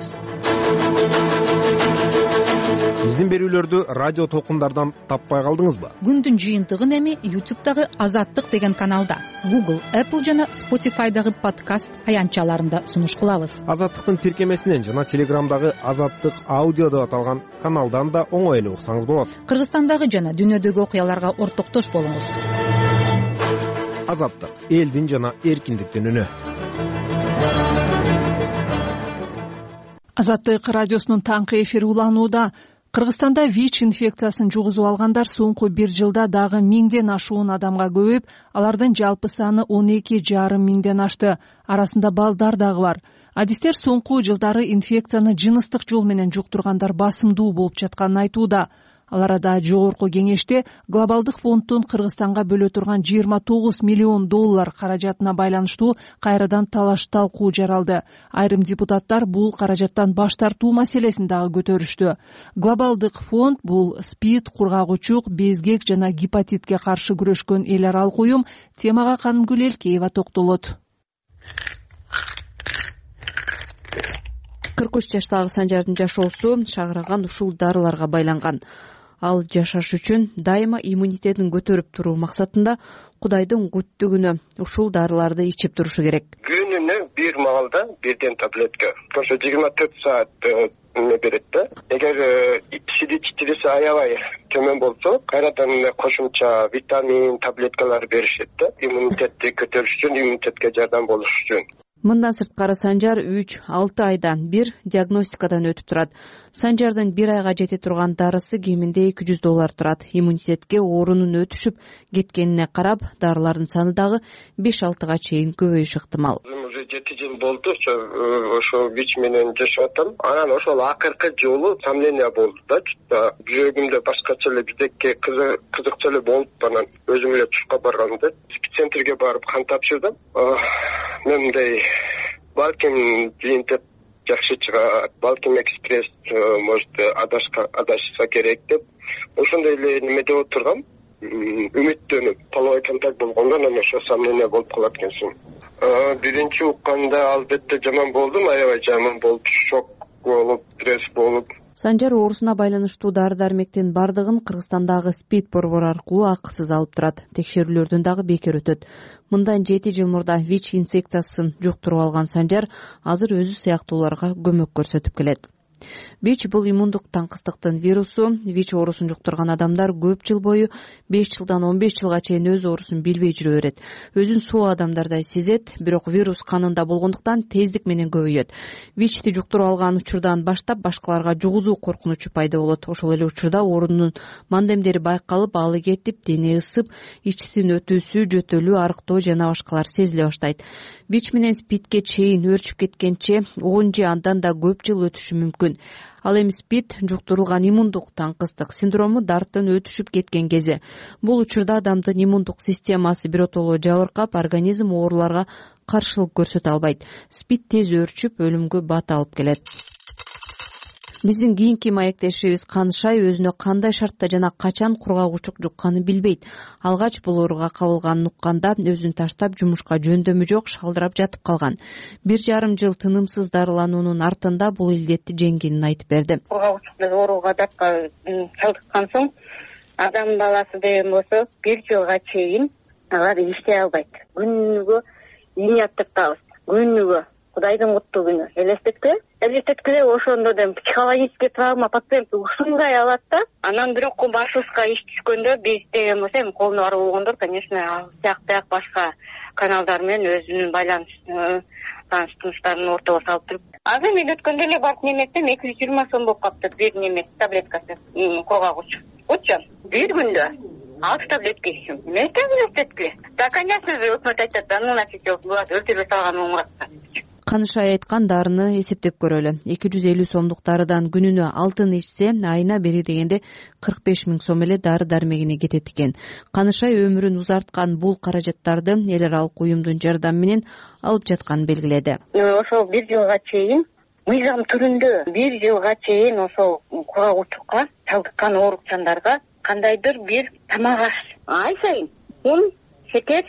Биздин берүүлөрдү радио толкундардан таппай калдыңызбы? Күндүн жыйынтыгын эми YouTube'дагы Азаттык деген каналда, Google, Apple жана Spotify'дагы подкаст аянтчаларында сунуш кылабыз. Азаттыктын тиркемесинен жана Телеграмдагы Азаттык аудио деп аталган каналдан да оңой эле уксаңыз болот. Кыргызстандагы жана дүйнөдөгү окуяларга ортоктош болуңуз. Азаттык, элдин жана эркиндиктин үнү. Азаттык радиосунун таңкы эфири уланууда. Кыргызстанда ВИЧ инфекциясын жугузуп алгандар соңку бир жылда дагы миңден ашуун адамга көбөйүп, алардын жалпы саны он эки жарым миңден ашты. Арасында балдар дагы бар. адистер соңку жылдары инфекцияны жыныстык жол менен жуктургандар басымдуу болуп жатканын айтууда. Ал арада жогорку кеңеште глобалдык фонддун Кыргызстанга бөлө турган жыйырма тогуз миллион доллар каражатына байланыштуу кайрадан талаш талкуу жаралды. Айрым депутаттар бул каражаттан баш тартуу маселесин дагы көтөрүштү. Глобалдык фонд бул СПИД, кургагучук, безгек жана гепатитке каршы күрөшкөн эл аралык уюм. Темага Канымгүл Элкеева токтолот. кырк үч жаштагы Санжардын жашоосу шагыраган ушул дарыларга байланган. Ал жашаш үчүн дайыма иммунитетин көтөрүп туруу максатында Кудайдын күттүгүнө ушул дарыларды ичип турушу керек. Күнүнө бир маалда бирден таблетка. Ошо жыйырма төрт саат эме берет да. Эгер сидичтириси аябай төмөн болсо, кайрадан кошумча витамин, таблеткалар беришет да. Иммунитетти көтөрүш үчүн, иммунитетке жардам болуш үчүн. Мындан сырткары Санжар үч алты айдан бир диагностикадан өтүп турат. Санжардын бир айга жете турган дарысы кеминде эки жүз доллар турат. Иммунитетке оорунун өтүшүп кеткенине карап, дарылардын саны дагы беш алтыга чейин көбөйүшү ыктымал. Уже жети жыл болду, ошо ВИЧ менен жашап атам. Анан ошол акыркы жолу сомнение болду да. Жүрөгүмдө башкача эле бирдекке кызыкча эле болуп, анан өзүм эле тушка барганда центрге барып кан тапшырдым. Мен мындай балким жыйынтык жакшы чыгат, балким экспресс может адашса керек деп ошондой эле неме деп отургам, үмүттөнүп половой контакт болгондон анан ошо сомнение болуп калат экенсиң. Биринчи укканда албетте жаман болдум, аябай жаман болуп, шок болуп, стресс болуп. Санжар оорусуна байланыштуу дары-дармектин бардыгын Кыргызстандагы СПИД борбору аркылуу акысыз алып турат. Текшерүүлөрдөн дагы бекер өтөт. Мындан жети жыл мурда ВИЧ инфекциясын жуктуруп алган Санжар азыр өзү сыяктууларга көмөк көрсөтүп келет. ВИЧ бул иммундук таңкыстыктын вирусу. ВИЧ оорусун жуктурган адамдар көп жыл бою беш жылдан он беш жылга чейин өз оорусун билбей жүрө берет. Өзүн соо адамдардай сезет, бирок вирус канында болгондуктан тездик менен көбөйөт. ВИЧти жуктуруп алган учурдан баштап башкаларга жугузуу коркунучу пайда болот. Ошол эле учурда оорунун мандемдери байкалып, алы кетип, дене ысып, ичтин өтүүсү, жөтөлүү, арыктоо жана башкалар сезиле баштайт. ВИЧ менен СПИДке чейин өөрчүп кеткенче он же андан да көп жыл өтүшү мүмкүн. Ал эми СПИД жуктурулган иммундук таңкыстык синдрому дарттын өтүшүп кеткен кези. Бул учурда адамдын иммундук системасы биротоло жабыркап, организм ооруларга каршылык көрсөтө албайт. СПИД тез өөрчүп, өлүмгө бат алып келет. Биздин кийинки маектешибиз Канышай өзүнө кандай шартта жана качан кургагучук жукканын билбейт. Алгач бул ооруга кабылганын укканда өзүн таштап жумушка жөндөмү жок, шалдырап жатып калган. Бир жарым жыл тынымсыз дарылануунун артында бул илдетти жеңгенин айтып берди. Кургагучук ооруга датка чалдыккан соң адам баласы деген болсо бир жылга чейин алар иштей албайт. Күнүгө иниаттып табыз. Күнүгө Кудайдын куттуу күнү. Элестеткиле? Элестеткиле ошондо дем психологический травма пациент ушундай алат да. Анан бирок башыбызга иш түшкөндө биз деген болсо эми колуна барып болгондор, конечно, ал сыяктуу башка каналдар менен өзүнүн байланыш тааныш тууштарын ортого салып туруп. Азыр мен өткөндө эле барып неметсем эки жүз жыйырма сом болуп калыптыр бир неме таблеткасы кургагуч. Уччу бир күндө алты таблетка ичтим. Эмне элестеткиле? Да, конечно же, өкмөт айтат, да, ну, значит, булар өлтүрбөй салган умуратса. Канышай айткан дарыны эсептеп көрөлү. эки жүз элүү сомдук дарыдан күнүнө алтын ичсе, айына бери дегенде кырк беш миң сом эле дары-дармегине кетет экен. Канышай өмүрүн узарткан бул каражаттарды эл аралык уюмдун жардамы менен алып жатканын белгиледи. Ошол бир жылга чейин мыйзам түрүндө бир жылга чейин ошол кургагучукка чалдыккан оорукчандарга кандайдыр бир тамак аш ай сайын ун, шекер,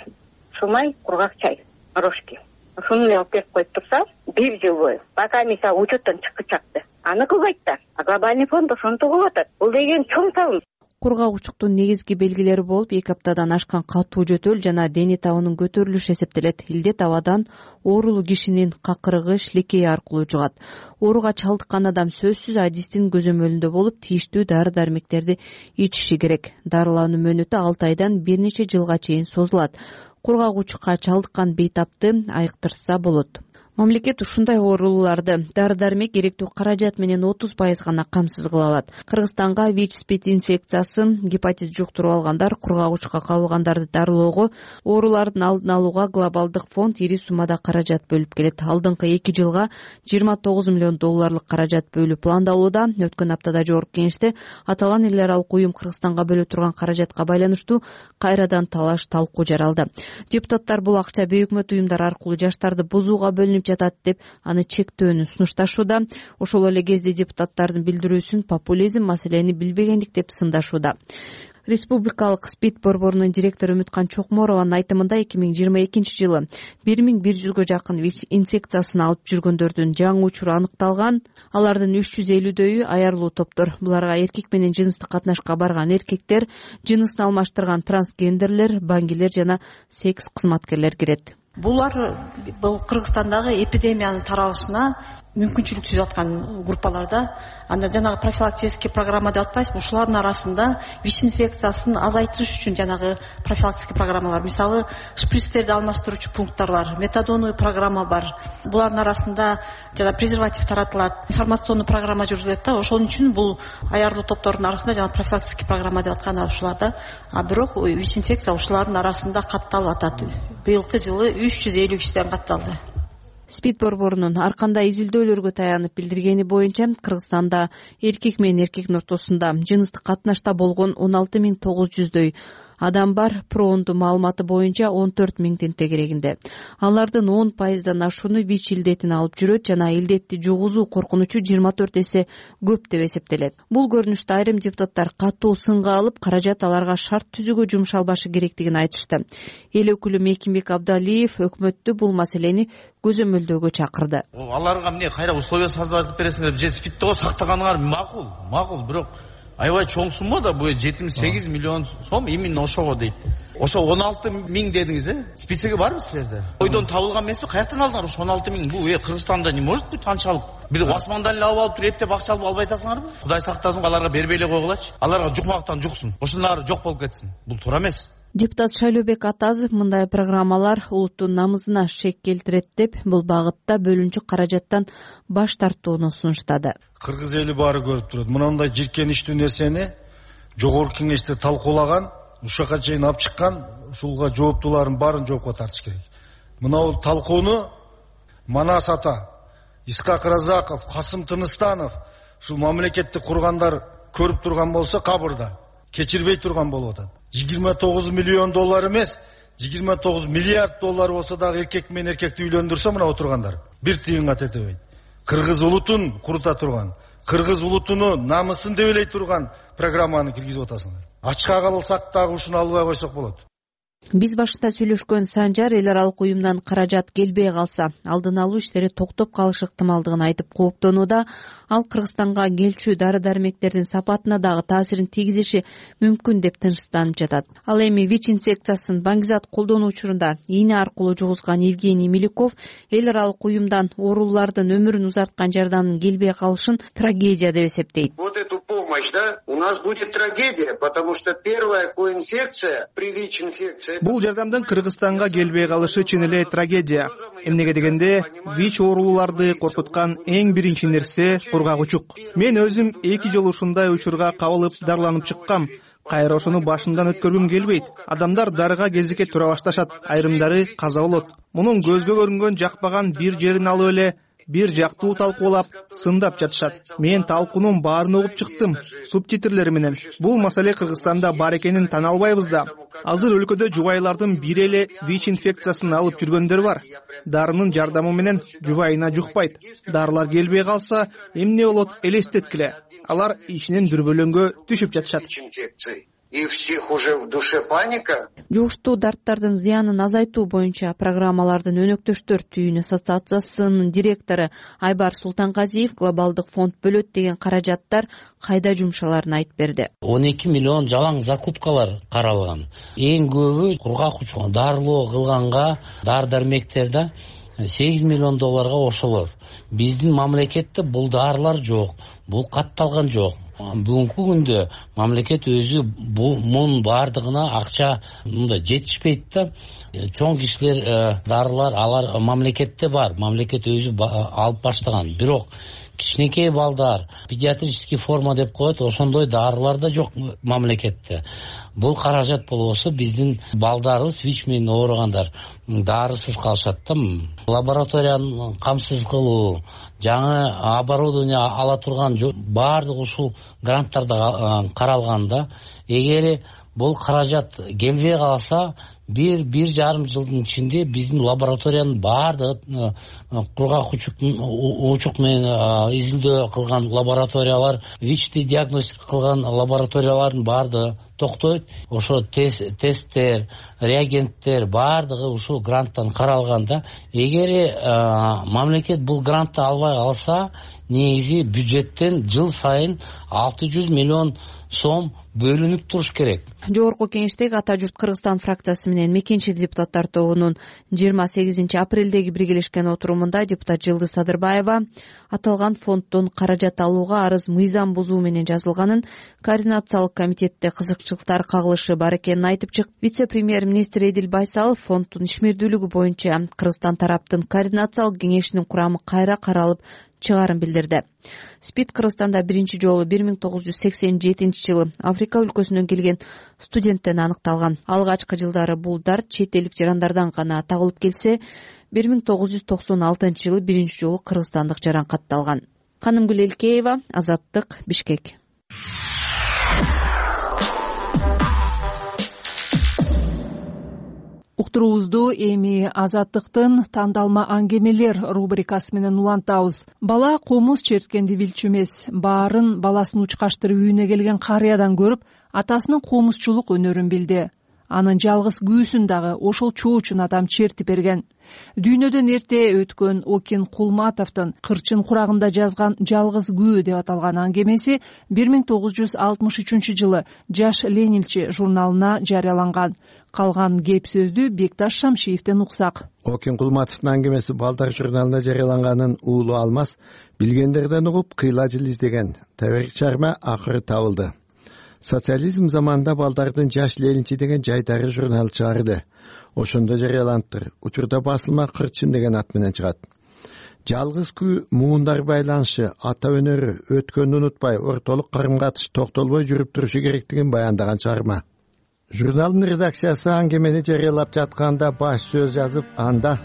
сумай, кургак чай, рожки. Ушуну алып берип коюп турса, бир жыл бою. Пока мисалы учеттен чыккычакты. Аны кылбайт да. А глобальный фонд ошентип кылып атат. Бул деген чоң салым. Кургагучуктун негизги белгилери болуп, эки аптадан ашкан катуу жөтөл жана дене табынын көтөрүлүшү эсептелет. Илдет абадан оорулуу кишинин какырыгы, шилекейи аркылуу жугат. Ооруга чалдыккан адам сөзсүз адистин көзөмөлүндө болуп, тийиштүү дары-дармектерди ичиши керек. Дарылануу мөөнөтү алты айдан бир нече жылга чейин созулат. Кургагучукка чалдыккан бейтапты айыктырса болот. Мамлекет ушундай ооруларды дары дармек керектүү каражат менен отуз пайыз гана камсыз кыла алат. Кыргызстанга ВИЧ спид инфекциясын, гепатит жуктуруп алгандар, кургагучка кабылгандарды дарылоого, оорулардын алдын алууга глобалдык фонд ири суммада каражат бөлүп келет. Алдыңкы эки жылга жыйырма тогуз миллион долларлык каражат бөлүү пландалууда. Өткөн аптада жогорку кеңеште аталган эл аралык уюм Кыргызстанга бөлө турган каражатка байланыштуу кайрадан талаш талкуу жаралды. Депутаттар бул акча бейөкмөт уюмдар аркылуу жаштарды бузууга бөлүнүп жатат деп аны чектөөнү сунушташууда. Ошол эле кезде депутаттардын билдирүүсүн популизм, маселени билбегендик деп сындашууда. Республикалык СПИД борборунун директору Үмүткан Чокморованын айтымында эки миң жыйырма экинчи жылы бир миң бир жүзгө жакын ВИЧ инфекциясын алып жүргөндөрдүн жаңы учуру аныкталган. Алардын үч жүз элүүдөйү аярлуу топтор. Буларга эркек менен жыныстык катнашка барган эркектер, жынысын алмаштырган трансгендерлер, баңгилер жана секс кызматкерлер кирет. Булар бул Кыргызстандагы эпидемиянын таралышына мүмкүнчүлүк түзүп аткан группаларда. Анда жанагы профилактический программа деп атпайсызбы, ушулардын арасында ВИЧ инфекциясын азайтыш үчүн жанагы профилактический программалар, мисалы шприцтерди алмаштыруучу пункттар бар, метадоновый программа бар. Булардын арасында жана презерватив таратылат, информационный программа жүргүзүлөт да. Ошол үчүн бул аярлуу топтордун арасында жана профилактический программа деп аткан ушуларда. А бирок ВИЧ инфекция ушулардын арасында катталып атат. Быйылкы жылы үч жүз элүү кишиден катталды. СПИД борборунун ар кандай изилдөөлөргө таянып билдиргени боюнча Кыргызстанда эркек менен эркектин ортосунда жыныстык катнашта болгон он алты миң тогуз жүздөй адам бар. Пронду маалыматы боюнча он төрт миңдин тегерегинде. Алардын он пайыздан ашууну ВИЧ илдетин алып жүрөт жана илдетти жугузуу коркунучу жыйырма төрт эсе көп деп эсептелет. Бул көрүнүштү айрым депутаттар катуу сынга алып, каражат аларга шарт түзүүгө жумшалбашы керектигин айтышты. Эл өкүлү Мекимбек Абдалиев өкмөттү бул маселени көзөмөлдөөгө чакырды. Аларга эмне кайра условия создавать бересиңер, же спидтого сактаганыңар макул, макул, бирок аябай чоң сумма да, бул жетимиш сегиз миллион сом именно ошого дейт. Ошо он алты миң дедиңиз, э? Списоги барбы силерде? Ойдон табылган эмеспи? Каяктан алдыңар ошо он алты миң? Бул э Кыргызстанда не может быть анчалык? Бир Османдан эле алып алып туруп эптеп акча алып албай атасыңарбы? Кудай сактасын, аларга бербей эле койгулачы. Аларга жукмактан жуксун. Ошондор жок болуп кетсин. Бул туура эмес. Депутат Шайлообек Атазов мындай программалар улуттун намысына шек келтирет деп, бул багытта бөлүнчү каражаттан баш тартууну сунуштады. Кыргыз эли баары көрүп турат. Мындай жиркеничтүү нерсени жогорку кеңеште талкуулаган, ушака чейин алып чыккан, ушулга жооптуулардын баарын жоопко тартыш керек. Мына бул талкууну Манас ата, Исхак Разаков, Касым Тыныстанов, ушул мамлекетти кургандар көрүп турган болсо кабырда кечирбей турган болуп атат. жыйырма тогуз миллион доллар эмес, жыйырма тогуз миллиард доллар болсо дагы эркек менен эркекти үйлөндүрсө мына отургандар бир тыйынга тетебейт. Кыргыз улутун курута турган, кыргыз улутунун намысын дебелей турган программаны киргизип атасыңар. Ачка калсак дагы ушуну албай койсок болот. Биз башында сүйлөшкөн Санжар эл аралык уюмдан каражат келбей калса, алдын алуу иштери токтоп калышы ыктымалдыгын айтып кооптонууда. Ал Кыргызстанга келчү дары-дармектердин сапатына дагы таасирин тийгизиши мүмкүн деп тынчсызданып жатат. Ал эми ВИЧ инфекциясын баңгизат колдонуу учурунда ийне аркылуу жугузган Евгений Милюков эл аралык уюмдан оорулардын өмүрүн узарткан жардамдын келбей калышын трагедия деп эсептейт. Вот эту помощь, да, у нас будет трагедия, потому что первая коинфекция при ВИЧ-инфекции. Бул жардамдын Кыргызстанга келбей калышы чын эле трагедия. Эмнеге дегенде, ВИЧ ооруларды коркуткан эң биринчи нерсе кургагучук. Мен өзүм эки жолу ушундай учурга кабылып дарланып чыккам. Кайра ошону башымдан өткөргүм келбейт. Адамдар дарыга кезекке тура башташат, айрымдары каза болот. Мунун көзгө көрүнгөн жакпаган бир жерин алып эле бир жактуу талкуулап, сындап жатышат. Мен талкуунун баарын угуп чыктым, субтитрлери менен. Бул маселе Кыргызстанда бар экенин тана албайбыз да. Азыр өлкөдө жубайлардын бири эле ВИЧ инфекциясын алып жүргөндөр бар. Дарынын жардамы менен жубайына жукпайт. Дарылар келбей калса, эмне болот элестеткиле. Алар ичинен дүрбөлөңгө түшүп жатышат. И всех уже в душе паника. Жугуштуу дарттардын зыянын азайтуу боюнча программалардын өнөктөштөр түйүнү ассоциациясынын директору Айбар Султанказиев глобалдык фонд бөлөт деген каражаттар кайда жумшаларын айтып берди. он эки миллион жалаң закупкалар каралган. Эң көбү кургак дарылоо кылганга, дар-дармектерде сегиз миллион долларга ошолор. Биздин мамлекетте бул дарылар жок, бул катталган жок. Бүгүнкү күндө мамлекет өзү мунун баардыгына акча мындай жетишпейт да. Чоң кишилер дарылар алар мамлекетте бар, мамлекет өзү алып баштаган. Бирок кичинекей балдар педиатрический форма деп коет, ошондой дарылар да жок мамлекетте. Бул каражат болбосо биздин балдарыбыз ВИЧ менен ооругандар дарысыз калышат да. Лабораторияны камсыз кылуу, жаңы оборудование ала турган баардык ушул гранттарда каралган да. Эгер бул каражат келбей калса, бир бир жарым жылдын ичинде биздин лабораториянын баардыгы кургак учук менен изилдөө кылган лабораториялар, ВИЧти диагностика кылган лабораториялардын баардыгы токтойт. Ошо тесттер, реагенттер баардыгы ушул гранттан каралганда, эгер мамлекет бул грантты албай калса, негизи бюджеттен жыл сайын алты жүз миллион сом бөлүнүп туруш керек. Жогорку кеңештеги Ата журт Кыргызстан фракциясы менен Мекенчил депутаттар тобунун жыйырма сегизинчи апрелдеги биргелешкен отурумунда депутат Жылдыз Садырбаева аталган фонддон каражат алууга арыз мыйзам бузуу менен жазылганын, координациялык комитетте кызыкчылыктар кагылышы бар экенин айтып чыкты. Вице-премьер-министр Эдил Байсалов фонддун ишмердүүлүгү боюнча Кыргызстан тараптын координациялык кеңешинин курамы кайра каралып чыгарын билдирди. СПИД Кыргызстанда биринчи жолу бир миң тогуз жүз сексен жетинчи жылы Африка өлкөсүнөн келген студенттен аныкталган. Алгачкы жылдары бул дарт чет элдик жарандардан гана табылып келсе, бир миң тогуз жүз токсон алтынчы жылы биринчи жолу кыргызстандык жаран катталган. Канымгүл Элкеева, Азаттык, Бишкек. Уктуруубузду эми Азаттыктын тандалма аңгемелер рубрикасы менен улантабыз. Бала комуз черткенди билчү эмес. Баарын баласын учкаштырып үйүнө келген карыядан көрүп, атасынын комузчулук өнөрүн билди. Анын жалгыз күүсүн дагы ошол чоочун адам чертип берген. Дүйнөдөн эрте өткөн Окин Кулматовдун Кырчын курагында жазган «Жалгыз күү» деп аталган аңгемеси бир миң тогуз жүз алтымыш үчүнчү жылы Жаш Ленинчи журналына жарыяланган. Калган кеп сөздү Бекташ Шамшиевден уксак. Окин Кулматовдун аңгемеси Балдар журналына жарыяланганын уулу Алмаз билгендерден угуп кыйла жыл издеген. Табарик чарма акыры табылды. Социализм заманында Балдардын Жаш Ленинчи деген жайдары журнал чыгарды. Ошондо жарыяланыптыр. Учурда басылма Кырчын деген ат менен чыгат. Жалгыз күү муундар байланышы, ата өнөрү, өткөндү унутпай, ортолук карым-катыш токтолбой жүрүп турушу керектигин баяндаган чыгарма. Журналдын редакциясы аңгемени жарыялап жатканда баш сөз жазып, анда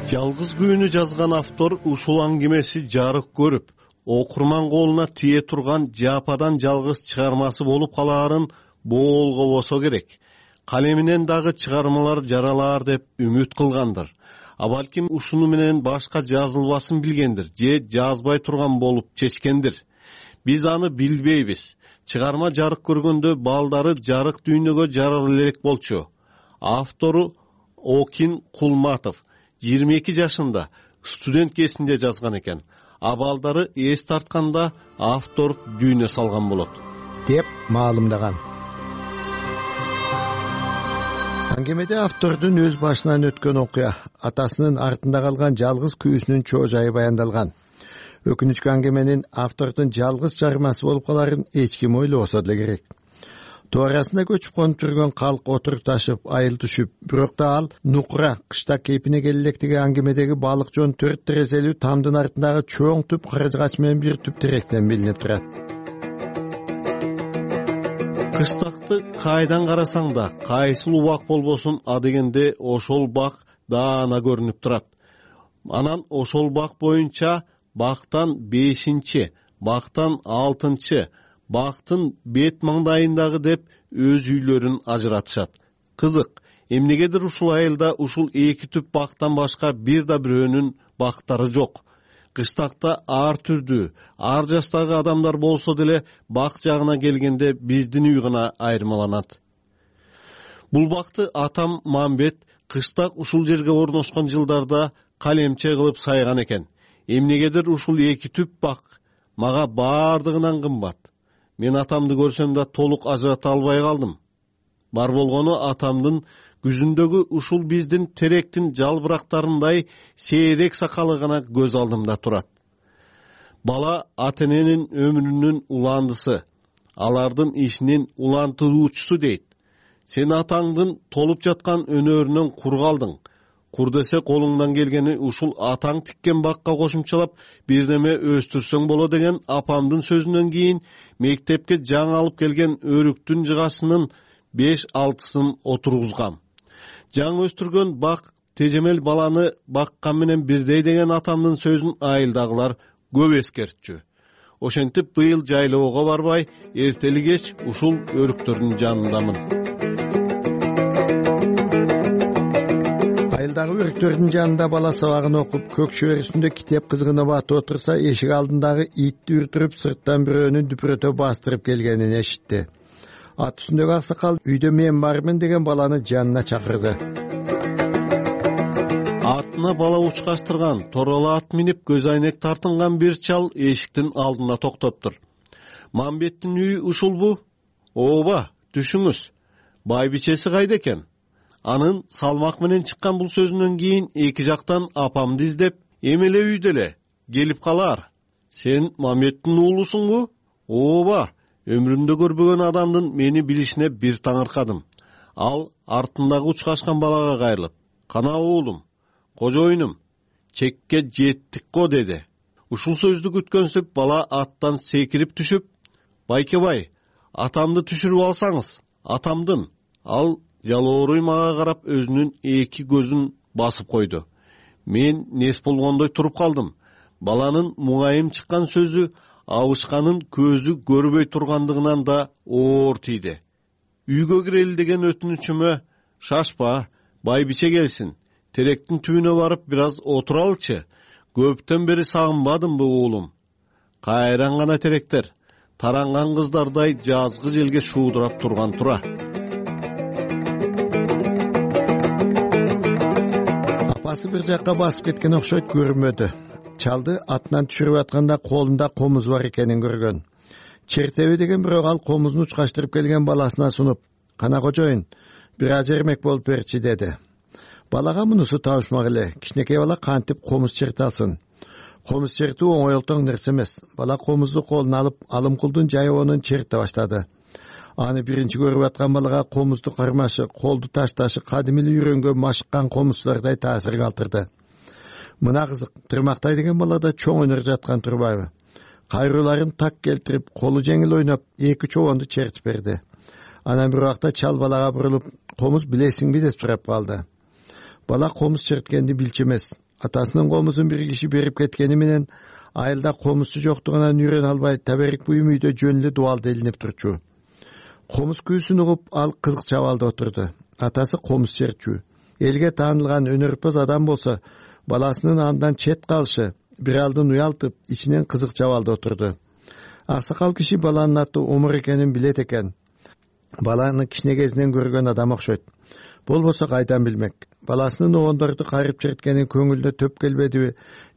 жалгыз күүнү жазган автор ушул аңгемеси жарык көрүп, окурман колуна тие турган жападан жалгыз чыгармасы болуп калаарын боолгобосо керек. Калеминен дагы чыгармалар жаралаар деп үмүт кылгандыр. А балким ушуну менен башка жазылбасын билгендир же жазбай турган болуп чечкендир. Биз аны билбейбиз. Чыгарма жарык көргөндө балдары жарык дүйнөгө жарар элек болчу. Автору Окин Кулматов жыйырма эки жашында студент кезинде жазган экен. А балдары эс тартканда автор дүйнө салган болот деп маалымдаган. Аңгемеде автордун өз башынан өткөн окуя, атасынын артында калган жалгыз күүсүнүн чоо жайы баяндалган. Өкүнүчкү аңгеменин автордун жалгыз чыгармасы болуп каларын эч ким ойлобосо деле керек. Тоо арасында көчүп конуп жүргөн калк отурукташып, айыл түшүп, бирок да ал нукура кышта кейпине келелектиги аңгемедеги балык жон төрт терезелүү тамдын артындагы чоң түп каражгач менен бир түп теректен билинип турат. Кыштакты кайдан карасаң да, кайсыл убак болбосун, а дегенде ошол бак даана көрүнүп турат. Анан ошол бак боюнча бактан бешинчи, бактан алтынчы, бактын бет маңдайындагы деп өз үйлөрүн ажыратышат. Кызык, эмнегедир ушул айылда ушул эки түп бактан башка бир да бирөөнүн бактары жок. Кыштакта ар түрдүү, ар жаштагы адамдар болсо деле бак жагына келгенде биздин үй гана айырмаланат. Бул бакты атам Мамбет кыштак ушул жерге орношкон жылдарда калемче кылып сайган экен. Эмнегедир ушул эки түп бак мага баардыгынан кымбат. Мен атамды көрсөм да толук ажырата албай калдым. Бар болгону атамдын күзүндөгү ушул биздин теректин жалбырактарындай сейрек сакалы гана көз алдымда турат. Бала ата эненин өмүрүнүн уландысы, алардын ишинин улантыруучусу дейт. Сен атаңдын толуп жаткан өнөрүнөн кур калдың. Кур десе колуңдан келгени ушул атаң тиккен бакка кошумчалап бирдеме өстүрсөң боло деген апамдын сөзүнөн кийин мектепке жаңы алып келген өрүктүн жыгасынын беш алтысын отургузгам. Жаңы өстүргөн бак тежемел баланы баккан менен бирдей деген атамдын сөзүн айылдагылар көп эскертчү. Ошентип быйыл жайлоого барбай, эртели кеч ушул өрүктөрдүн жанындамын. Айылдагы өрүктөрдүн жанында бала сабагын окуп, көк шөөр үстүндө китеп кызгынып аты отурса, эшик алдындагы итти үртүрүп, сырттан бирөөнүн дүпүрөтө бастырып келгенин эшитти. Ат үстүндөгү аксакал үйдө мен бармын деген баланы жанына чакырды. Артына бала учкаштырган, тороло ат минип көз айнек тартынган бир чал эшиктин алдында токтоптур. Мамбеттин үйү ушулбу? Ооба, түшүңүз. Байбичеси кайда экен? Анын салмак менен чыккан бул сөзүнөн кийин эки жактан апамды издеп, эмеле үйдө эле, келип калар. Сен Мамбеттин уулусуңбу? Ооба, өмүрүмдө көрбөгөн адамдын мени билишине бир таңыркадым. Ал артындагы учкашкан балага кайрылып, кана уулум, кожоюнум, чекке жеттик го деди. Ушул сөздү күткөнсүп бала аттан секирип түшүп, байкебай, атамды түшүрүп алсаңыз, атамдын. Ал жалооруй мага карап өзүнүн эки көзүн басып койду. Мен нес болгондой туруп калдым. Баланын муңайым чыккан сөзү абышканын көзү көрбөй тургандыгынан да оор тийди. Үйгө кирели деген өтүнүчүмө, шашпа, байбиче келсин. Теректин түбүнө барып бир аз отуралчы. Көптөн бери сагынбадымбы уулум? Кайран гана теректер, таранган кыздардай жазгы желге шуудурап турган тура. Апасы бир жакка басып кеткен окшойт, көрмөдү. Чалды атынан түшүрүп атканда колунда комуз бар экенин көргөн. Чертеби деген бирок ал комузун учкаштырып келген баласына сунуп, кана кожоюн, бир аз эрмек болуп берчи деди. Балага мунусу табышмак эле. Кичинекей бала кантип комуз чертасın? Комуз чертүү оңой олтоң нерсе эмес. Бала комузду колуна алып, алымкулдун жайоонун черте баштады. Аны биринчи көрүп аткан балага комузду кармашы, колду ташташы кадимили үйрөнгөн машыккан комузчулардай таасир калтырды. Мына кызык, тырмактай деген балада чоң өнөр жаткан турбайбы? Кайрууларын так келтирип, колу жеңил ойноп, эки чобонду чертип берди. Анан бир убакта чал балага бурулуп, комуз билесиңби деп сурап калды. Бала комуз черткенди билчү эмес. Атасынын комузун бир киши берип кеткени менен айылда комузчу жоктугунан үйрөнө албай, таберик буюм үйдө жөн эле дубалда илинип турчу. Комуз күүсүн угуп, ал кызык чабалда отурду. Атасы комуз чертчү. Элге таанылган өнөрпөз адам болсо, баласынын андан чет калышы бир алдын уялтып, ичинен кызык чабалда отурду. Аксакал киши баланын аты Омур экенин билет экен. Баланы кичине кезинен көргөн адам окшойт. Болбосо кайдан билмек? Баласынын обондорду кайрып черткенин көңүлүнө төп келбедиби,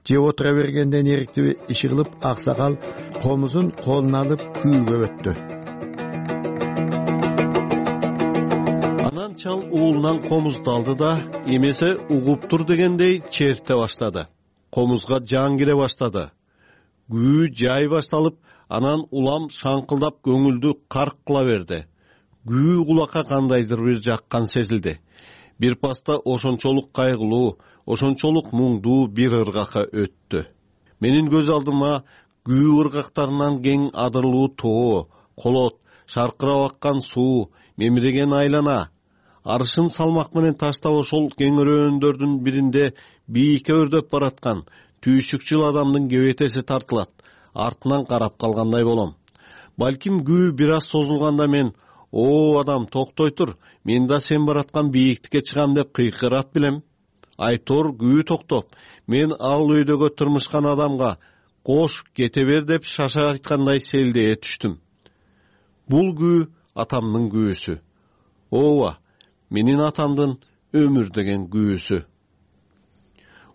же отура бергенден эриктиби, иши кылып аксакал комузун колуна алып күүгө өттү. Анан чал уулунан комузду алды да, эмесе угуптур дегендей черте баштады. Комузга жан кире баштады. Күү жай башталып, анан улам шаңкылдап көңүлдү карк кыла берди. Күү кулакка кандайдыр бир жаккан сезилди. Бир паста ошончолук кайгылуу, ошончолук муңдуу бир ыргакка өттү. Менин көз алдыма күү ыргактарынан кең адырлуу тоо, колот, шаркырап аккан суу, мемиреген айлана. Арышын салмак менен таштап ошол кеңирөөндөрдүн биринде бийикке өрдөп бараткан түйшүкчүл адамдын кебетеси тартылат. Артынан карап калгандай болом. Балким күү бир аз созулганда мен, «О, адам, токтой тур, мен да сен бараткан бийиктикке чыгам» деп кыйкырат билем. Айтор күү токтоп, мен ал өйдөгө тырмышкан адамга «Кош, кете бер» деп шаша айткандай селдее түштүм. Бул күү атамдын күүсү. Ооба, менин атамдын өмүр деген күүсү.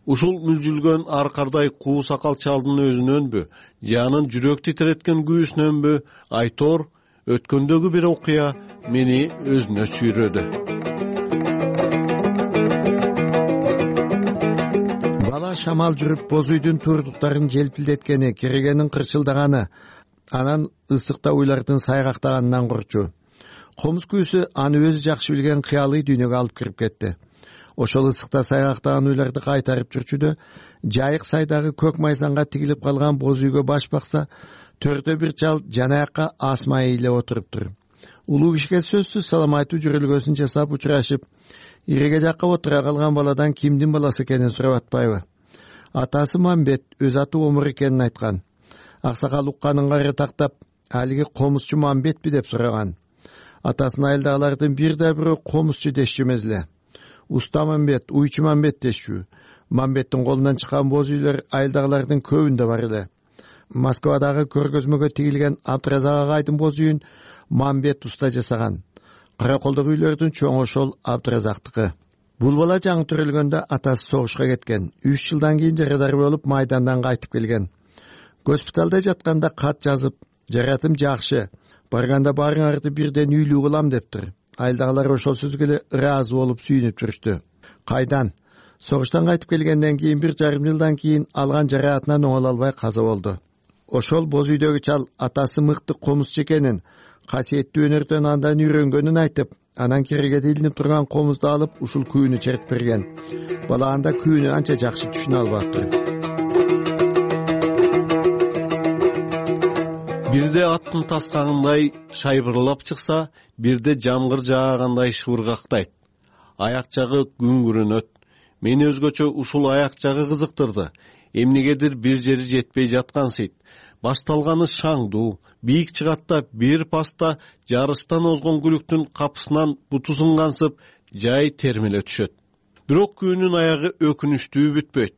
Ушул мүлжүлгөн аркардай куу сакал чалдын өзүнөнбү, же анын жүрөк титиреткен күүсүнөнбү, айтор өткөндөгү бир окуя мени өзүнө сүйрөдү. Бала дагы шамал жүрүп боз үйдүн турдуктарын желпилдеткени, керегенин кырчылдаганы, анан ысыкта уйлардын сайгактаганынан курчу. Комуз күүсү аны өзү жакшы билген кыялый дүйнөгө алып кирип кетти. Ошол ысыкта сайгактаган уйларды кайтарып жүрчүдө жайык сайдагы көк майзанга тигилип калган боз үйгө баш бакса, төрдө бир чал жанаякка асмай эле отуруптур. Улуу кишиге сөзсүз салам айтуу жүрөлгөсүн жасап учурашып, иреге жакка отура калган баладан кимдин баласы экенин сурап атпайбы? Атасы Мамбет өз аты Омур экенин айткан. Аксакал укканын кайры тактап, алиги комузчу Мамбетпи деп сураган. Атасынын айылдагылардын бир да бирөө комузчу дешчү эмес эле. Уста Мамбет, уйчу Мамбет дешчү. Мамбеттин колунан чыккан боз үйлөр айылдагылардын көбүндө бар эле. Москвадагы көргөзмөгө тигилген Абдыразак агайдын боз үйүн Мамбет уста жасаган. Караколдогу үйлөрдүн чоң ошол Абдыразактыкы. Бул бала жаңы төрөлгөндө атасы согушка кеткен. үч жылдан кийин жарадар болуп майдандан кайтып келген. Госпиталда жатканда кат жазып, жаратым жакшы, барганда баарыңарды бирден үйлүү кылам дептир. Айылдагылар ошол сөзгө эле ыраазы болуп сүйүнүп жүрүштү. Кайдан? Согуштан кайтып келгенден кийин бир жарым жылдан кийин алган жараатынан оңоло албай каза болду. Ошол боз үйдөгү чал атасы мыкты комузчу экенин, касиеттүү өнөрдөн андан үйрөнгөнүн айтып, анан керегеде илинип турган комузду алып ушул күүнү чертип берген. Бала анда күүнү анча жакшы түшүнө албаптыр. Бирде аттын таскагындай шайбырлап чыкса, бирде жамгыр жаагандай шыбыргактайт. Аяк жагы күңгүрөнөт. Мени өзгөчө ушул аяк жагы кызыктырды. Эмнегедир бир жери жетпей жаткансыйт. Башталганы шаңдуу, бийик чыгат да бир паста жарыштан озгон күлүктүн капысынан буту сынгансып, жай термеле түшөт. Бирок күнүн аягы өкүнүчтүү бүтпөйт.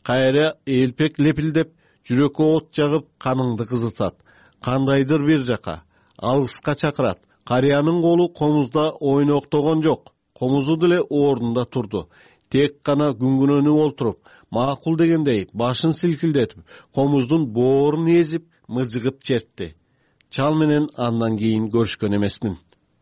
Кайра элпек лепилдеп, жүрөккө от жагып, каныңды кызытат. Кандайдыр бир жака, алыска чакырат. Карыянын колу комузда ойноктогон жок. Комузу деле ордунда турду. Тек гана күңгүнөнүп олтуруп, макул дегендей башын силкилдетип, комуздун боорун эзип, мыжыгып чертти. Чал менен андан кийин көрүшкөн эмесмин.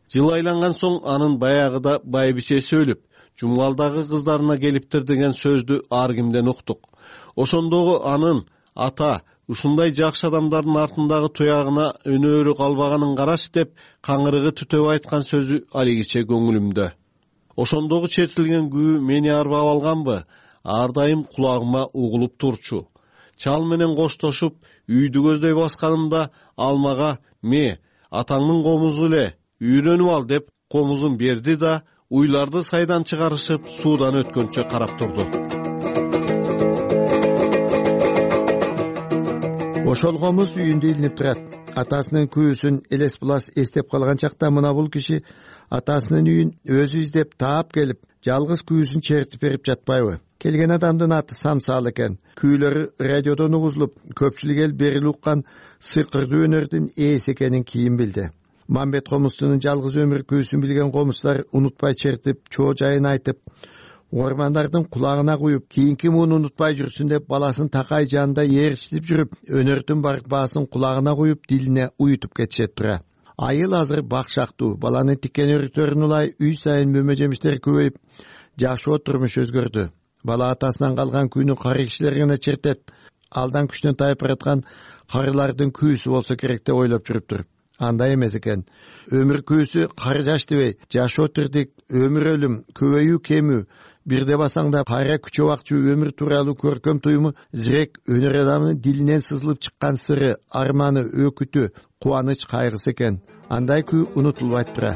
Жыл айланган соң анын баягыда байбичеси өлүп, жумгалдагы кыздарына келиптир деген сөздү ар кимден уктук. Ошондогу анын ата ушундай жакшы адамдардын артындагы туягына өнөрү калбаганын караш деп каңырыгы түтөп айткан сөзү алигиче көңүлүмдө. Ошондогу чертилген күү мени арбап алганбы? Ар дайым кулагыма угулуп турчу. Чал менен коштошуп, үйдү көздөй басканымда алмага "Ме, атаңдын комузу эле, үйрөнүп ал" деп комузун берди да, уйларды сайдан чыгарышып, суудан өткөнчө карап турду. Ошол комуз үйүндө илинип турат. Атасынын күүсүн элес булас эстеп калган чакта мына бул киши атасынын үйүн өзү издеп таап келип, жалгыз күүсүн чертип берип жатпайбы? Келген адамдын аты Самсал экен. Күүлөрү радиодон угузулуп, көпчүлүк эл берил уккан сыйкырдуу өнөрдүн ээси экенин кийин билди. Мамбет комузчунун жалгыз өмүр күүсүн билген комуздар унутпай чертип, чоо жайын айтып, ормандардын кулагына куюп, кийинки муну унутпай жүрсүн деп баласын такай жанында ээрчитип жүрүп, өнөрдүн барк баасын кулагына куюп, дилине уютуп кетишет тура. Айыл азыр бакшактуу, баланын тиккен өрүктөрүн улай үй сайын мөмө жемиштер көбөйүп, жашоо турмуш өзгөрдү. Бала атасынан калган күүнү кары кишилер гана чертет. Алдан күчтөн тайып бараткан карылардын күүсү болсо керек деп ойлоп жүрүптүр. Андай эмес экен. Өмүр күүсү кары жаш дебей, жашоо тирдик, өмүр өлүм, көбөйүү кемүү, бирде басаңда кайра күчө бакчу өмүр тууралуу көркөм туюму зирек өнөр адамынын дилинен сызылып чыккан сыры, арманы, өкүтү, кубаныч, кайгысы экен. Андай күү унутулбайт тура.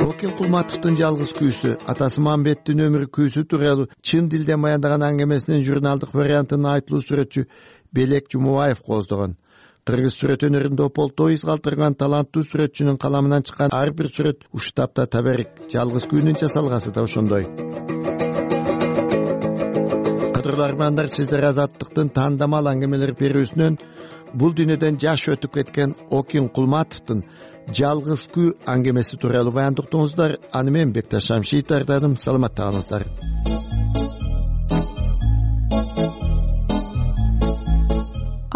Окин Кулматовдун жалгыз күүсү, атасы Мамбеттин өмүр күүсү тууралуу чын дилден баяндаган аңгемесинин журналдык вариантын айтылуу сүрөтчү Белек Жумубаев кооздогон. Кыргыз сүрөт өнөрүндө ополтоо из калтырган таланттуу сүрөтчүнүн каламынан чыккан ар бир сүрөт уштапта табарик. Жалгыз күүнүн жасалгасы да ошондой. Кадырлуу армандар, сиздер Азаттыктын тандамал аңгемелер берүүсүнөн бул дүйнөдөн жаш өтүп кеткен Окин Кулматовдун жалгыз күү аңгемеси тууралуу баяндыктыңыздар. Аны мен Бекташ Шамшиев даярдадым. Саламатта калыңыздар.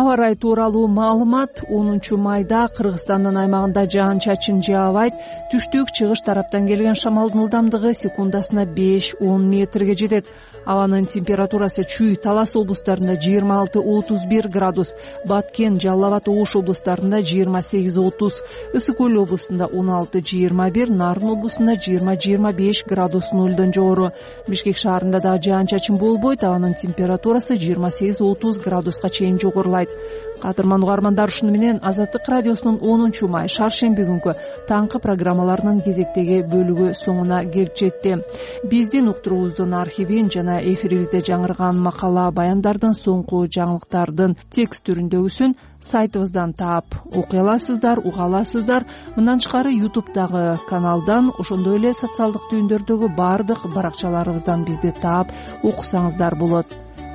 Аба ырайы тууралуу маалымат. онунчу майда Кыргызстандын аймагында жаан-чачын жаабайт. Түштүк чыгыш тараптан келген шамалдын ылдамдыгы секундасына беш он метрге жетет. Абанын температурасы Чүй, Талас облустарында жыйырма алты отуз бир градус, Баткен, Жалал Абад, Ош облустарында жыйырма сегиз отуз, Ысык Көл облусунда он алты жыйырма бир, Нарын облусунда жыйырма жыйырма беш градус нөлдөн жогору. Бишкек шаарында да жаан-чачын болбойт, абанын температурасы жыйырма сегиз отуз градуска чейин жогорулайт. Кадырман угармандар, ушуну менен Азаттык радиосунун онунчу май шаршемби күнгү таңкы программаларынын кезектеги бөлүгү соңуна келип жетти. Биздин уктуруубуздун архивин жана эфирибизде жаңырган макала баяндардын соңку жаңылыктардын текст түрүндөгүсүн сайтыбыздан таап окуй аласыздар, уга аласыздар. Мындан тышкары ютубтагы каналдан, ошондой эле социалдык түйүндөрдөгү баардык баракчаларыбыздан бизди таап окусаңыздар болот.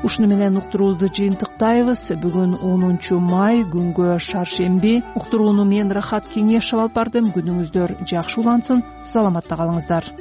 Ушуну менен уктуруубузду жыйынтыктайбыз. Бүгүн онунчу май күнгө шаршемби. Уктурууну мен Рахат Кеңешов алып бардым. Күнүңүздөр жакшы улансын. Саламатта калыңыздар.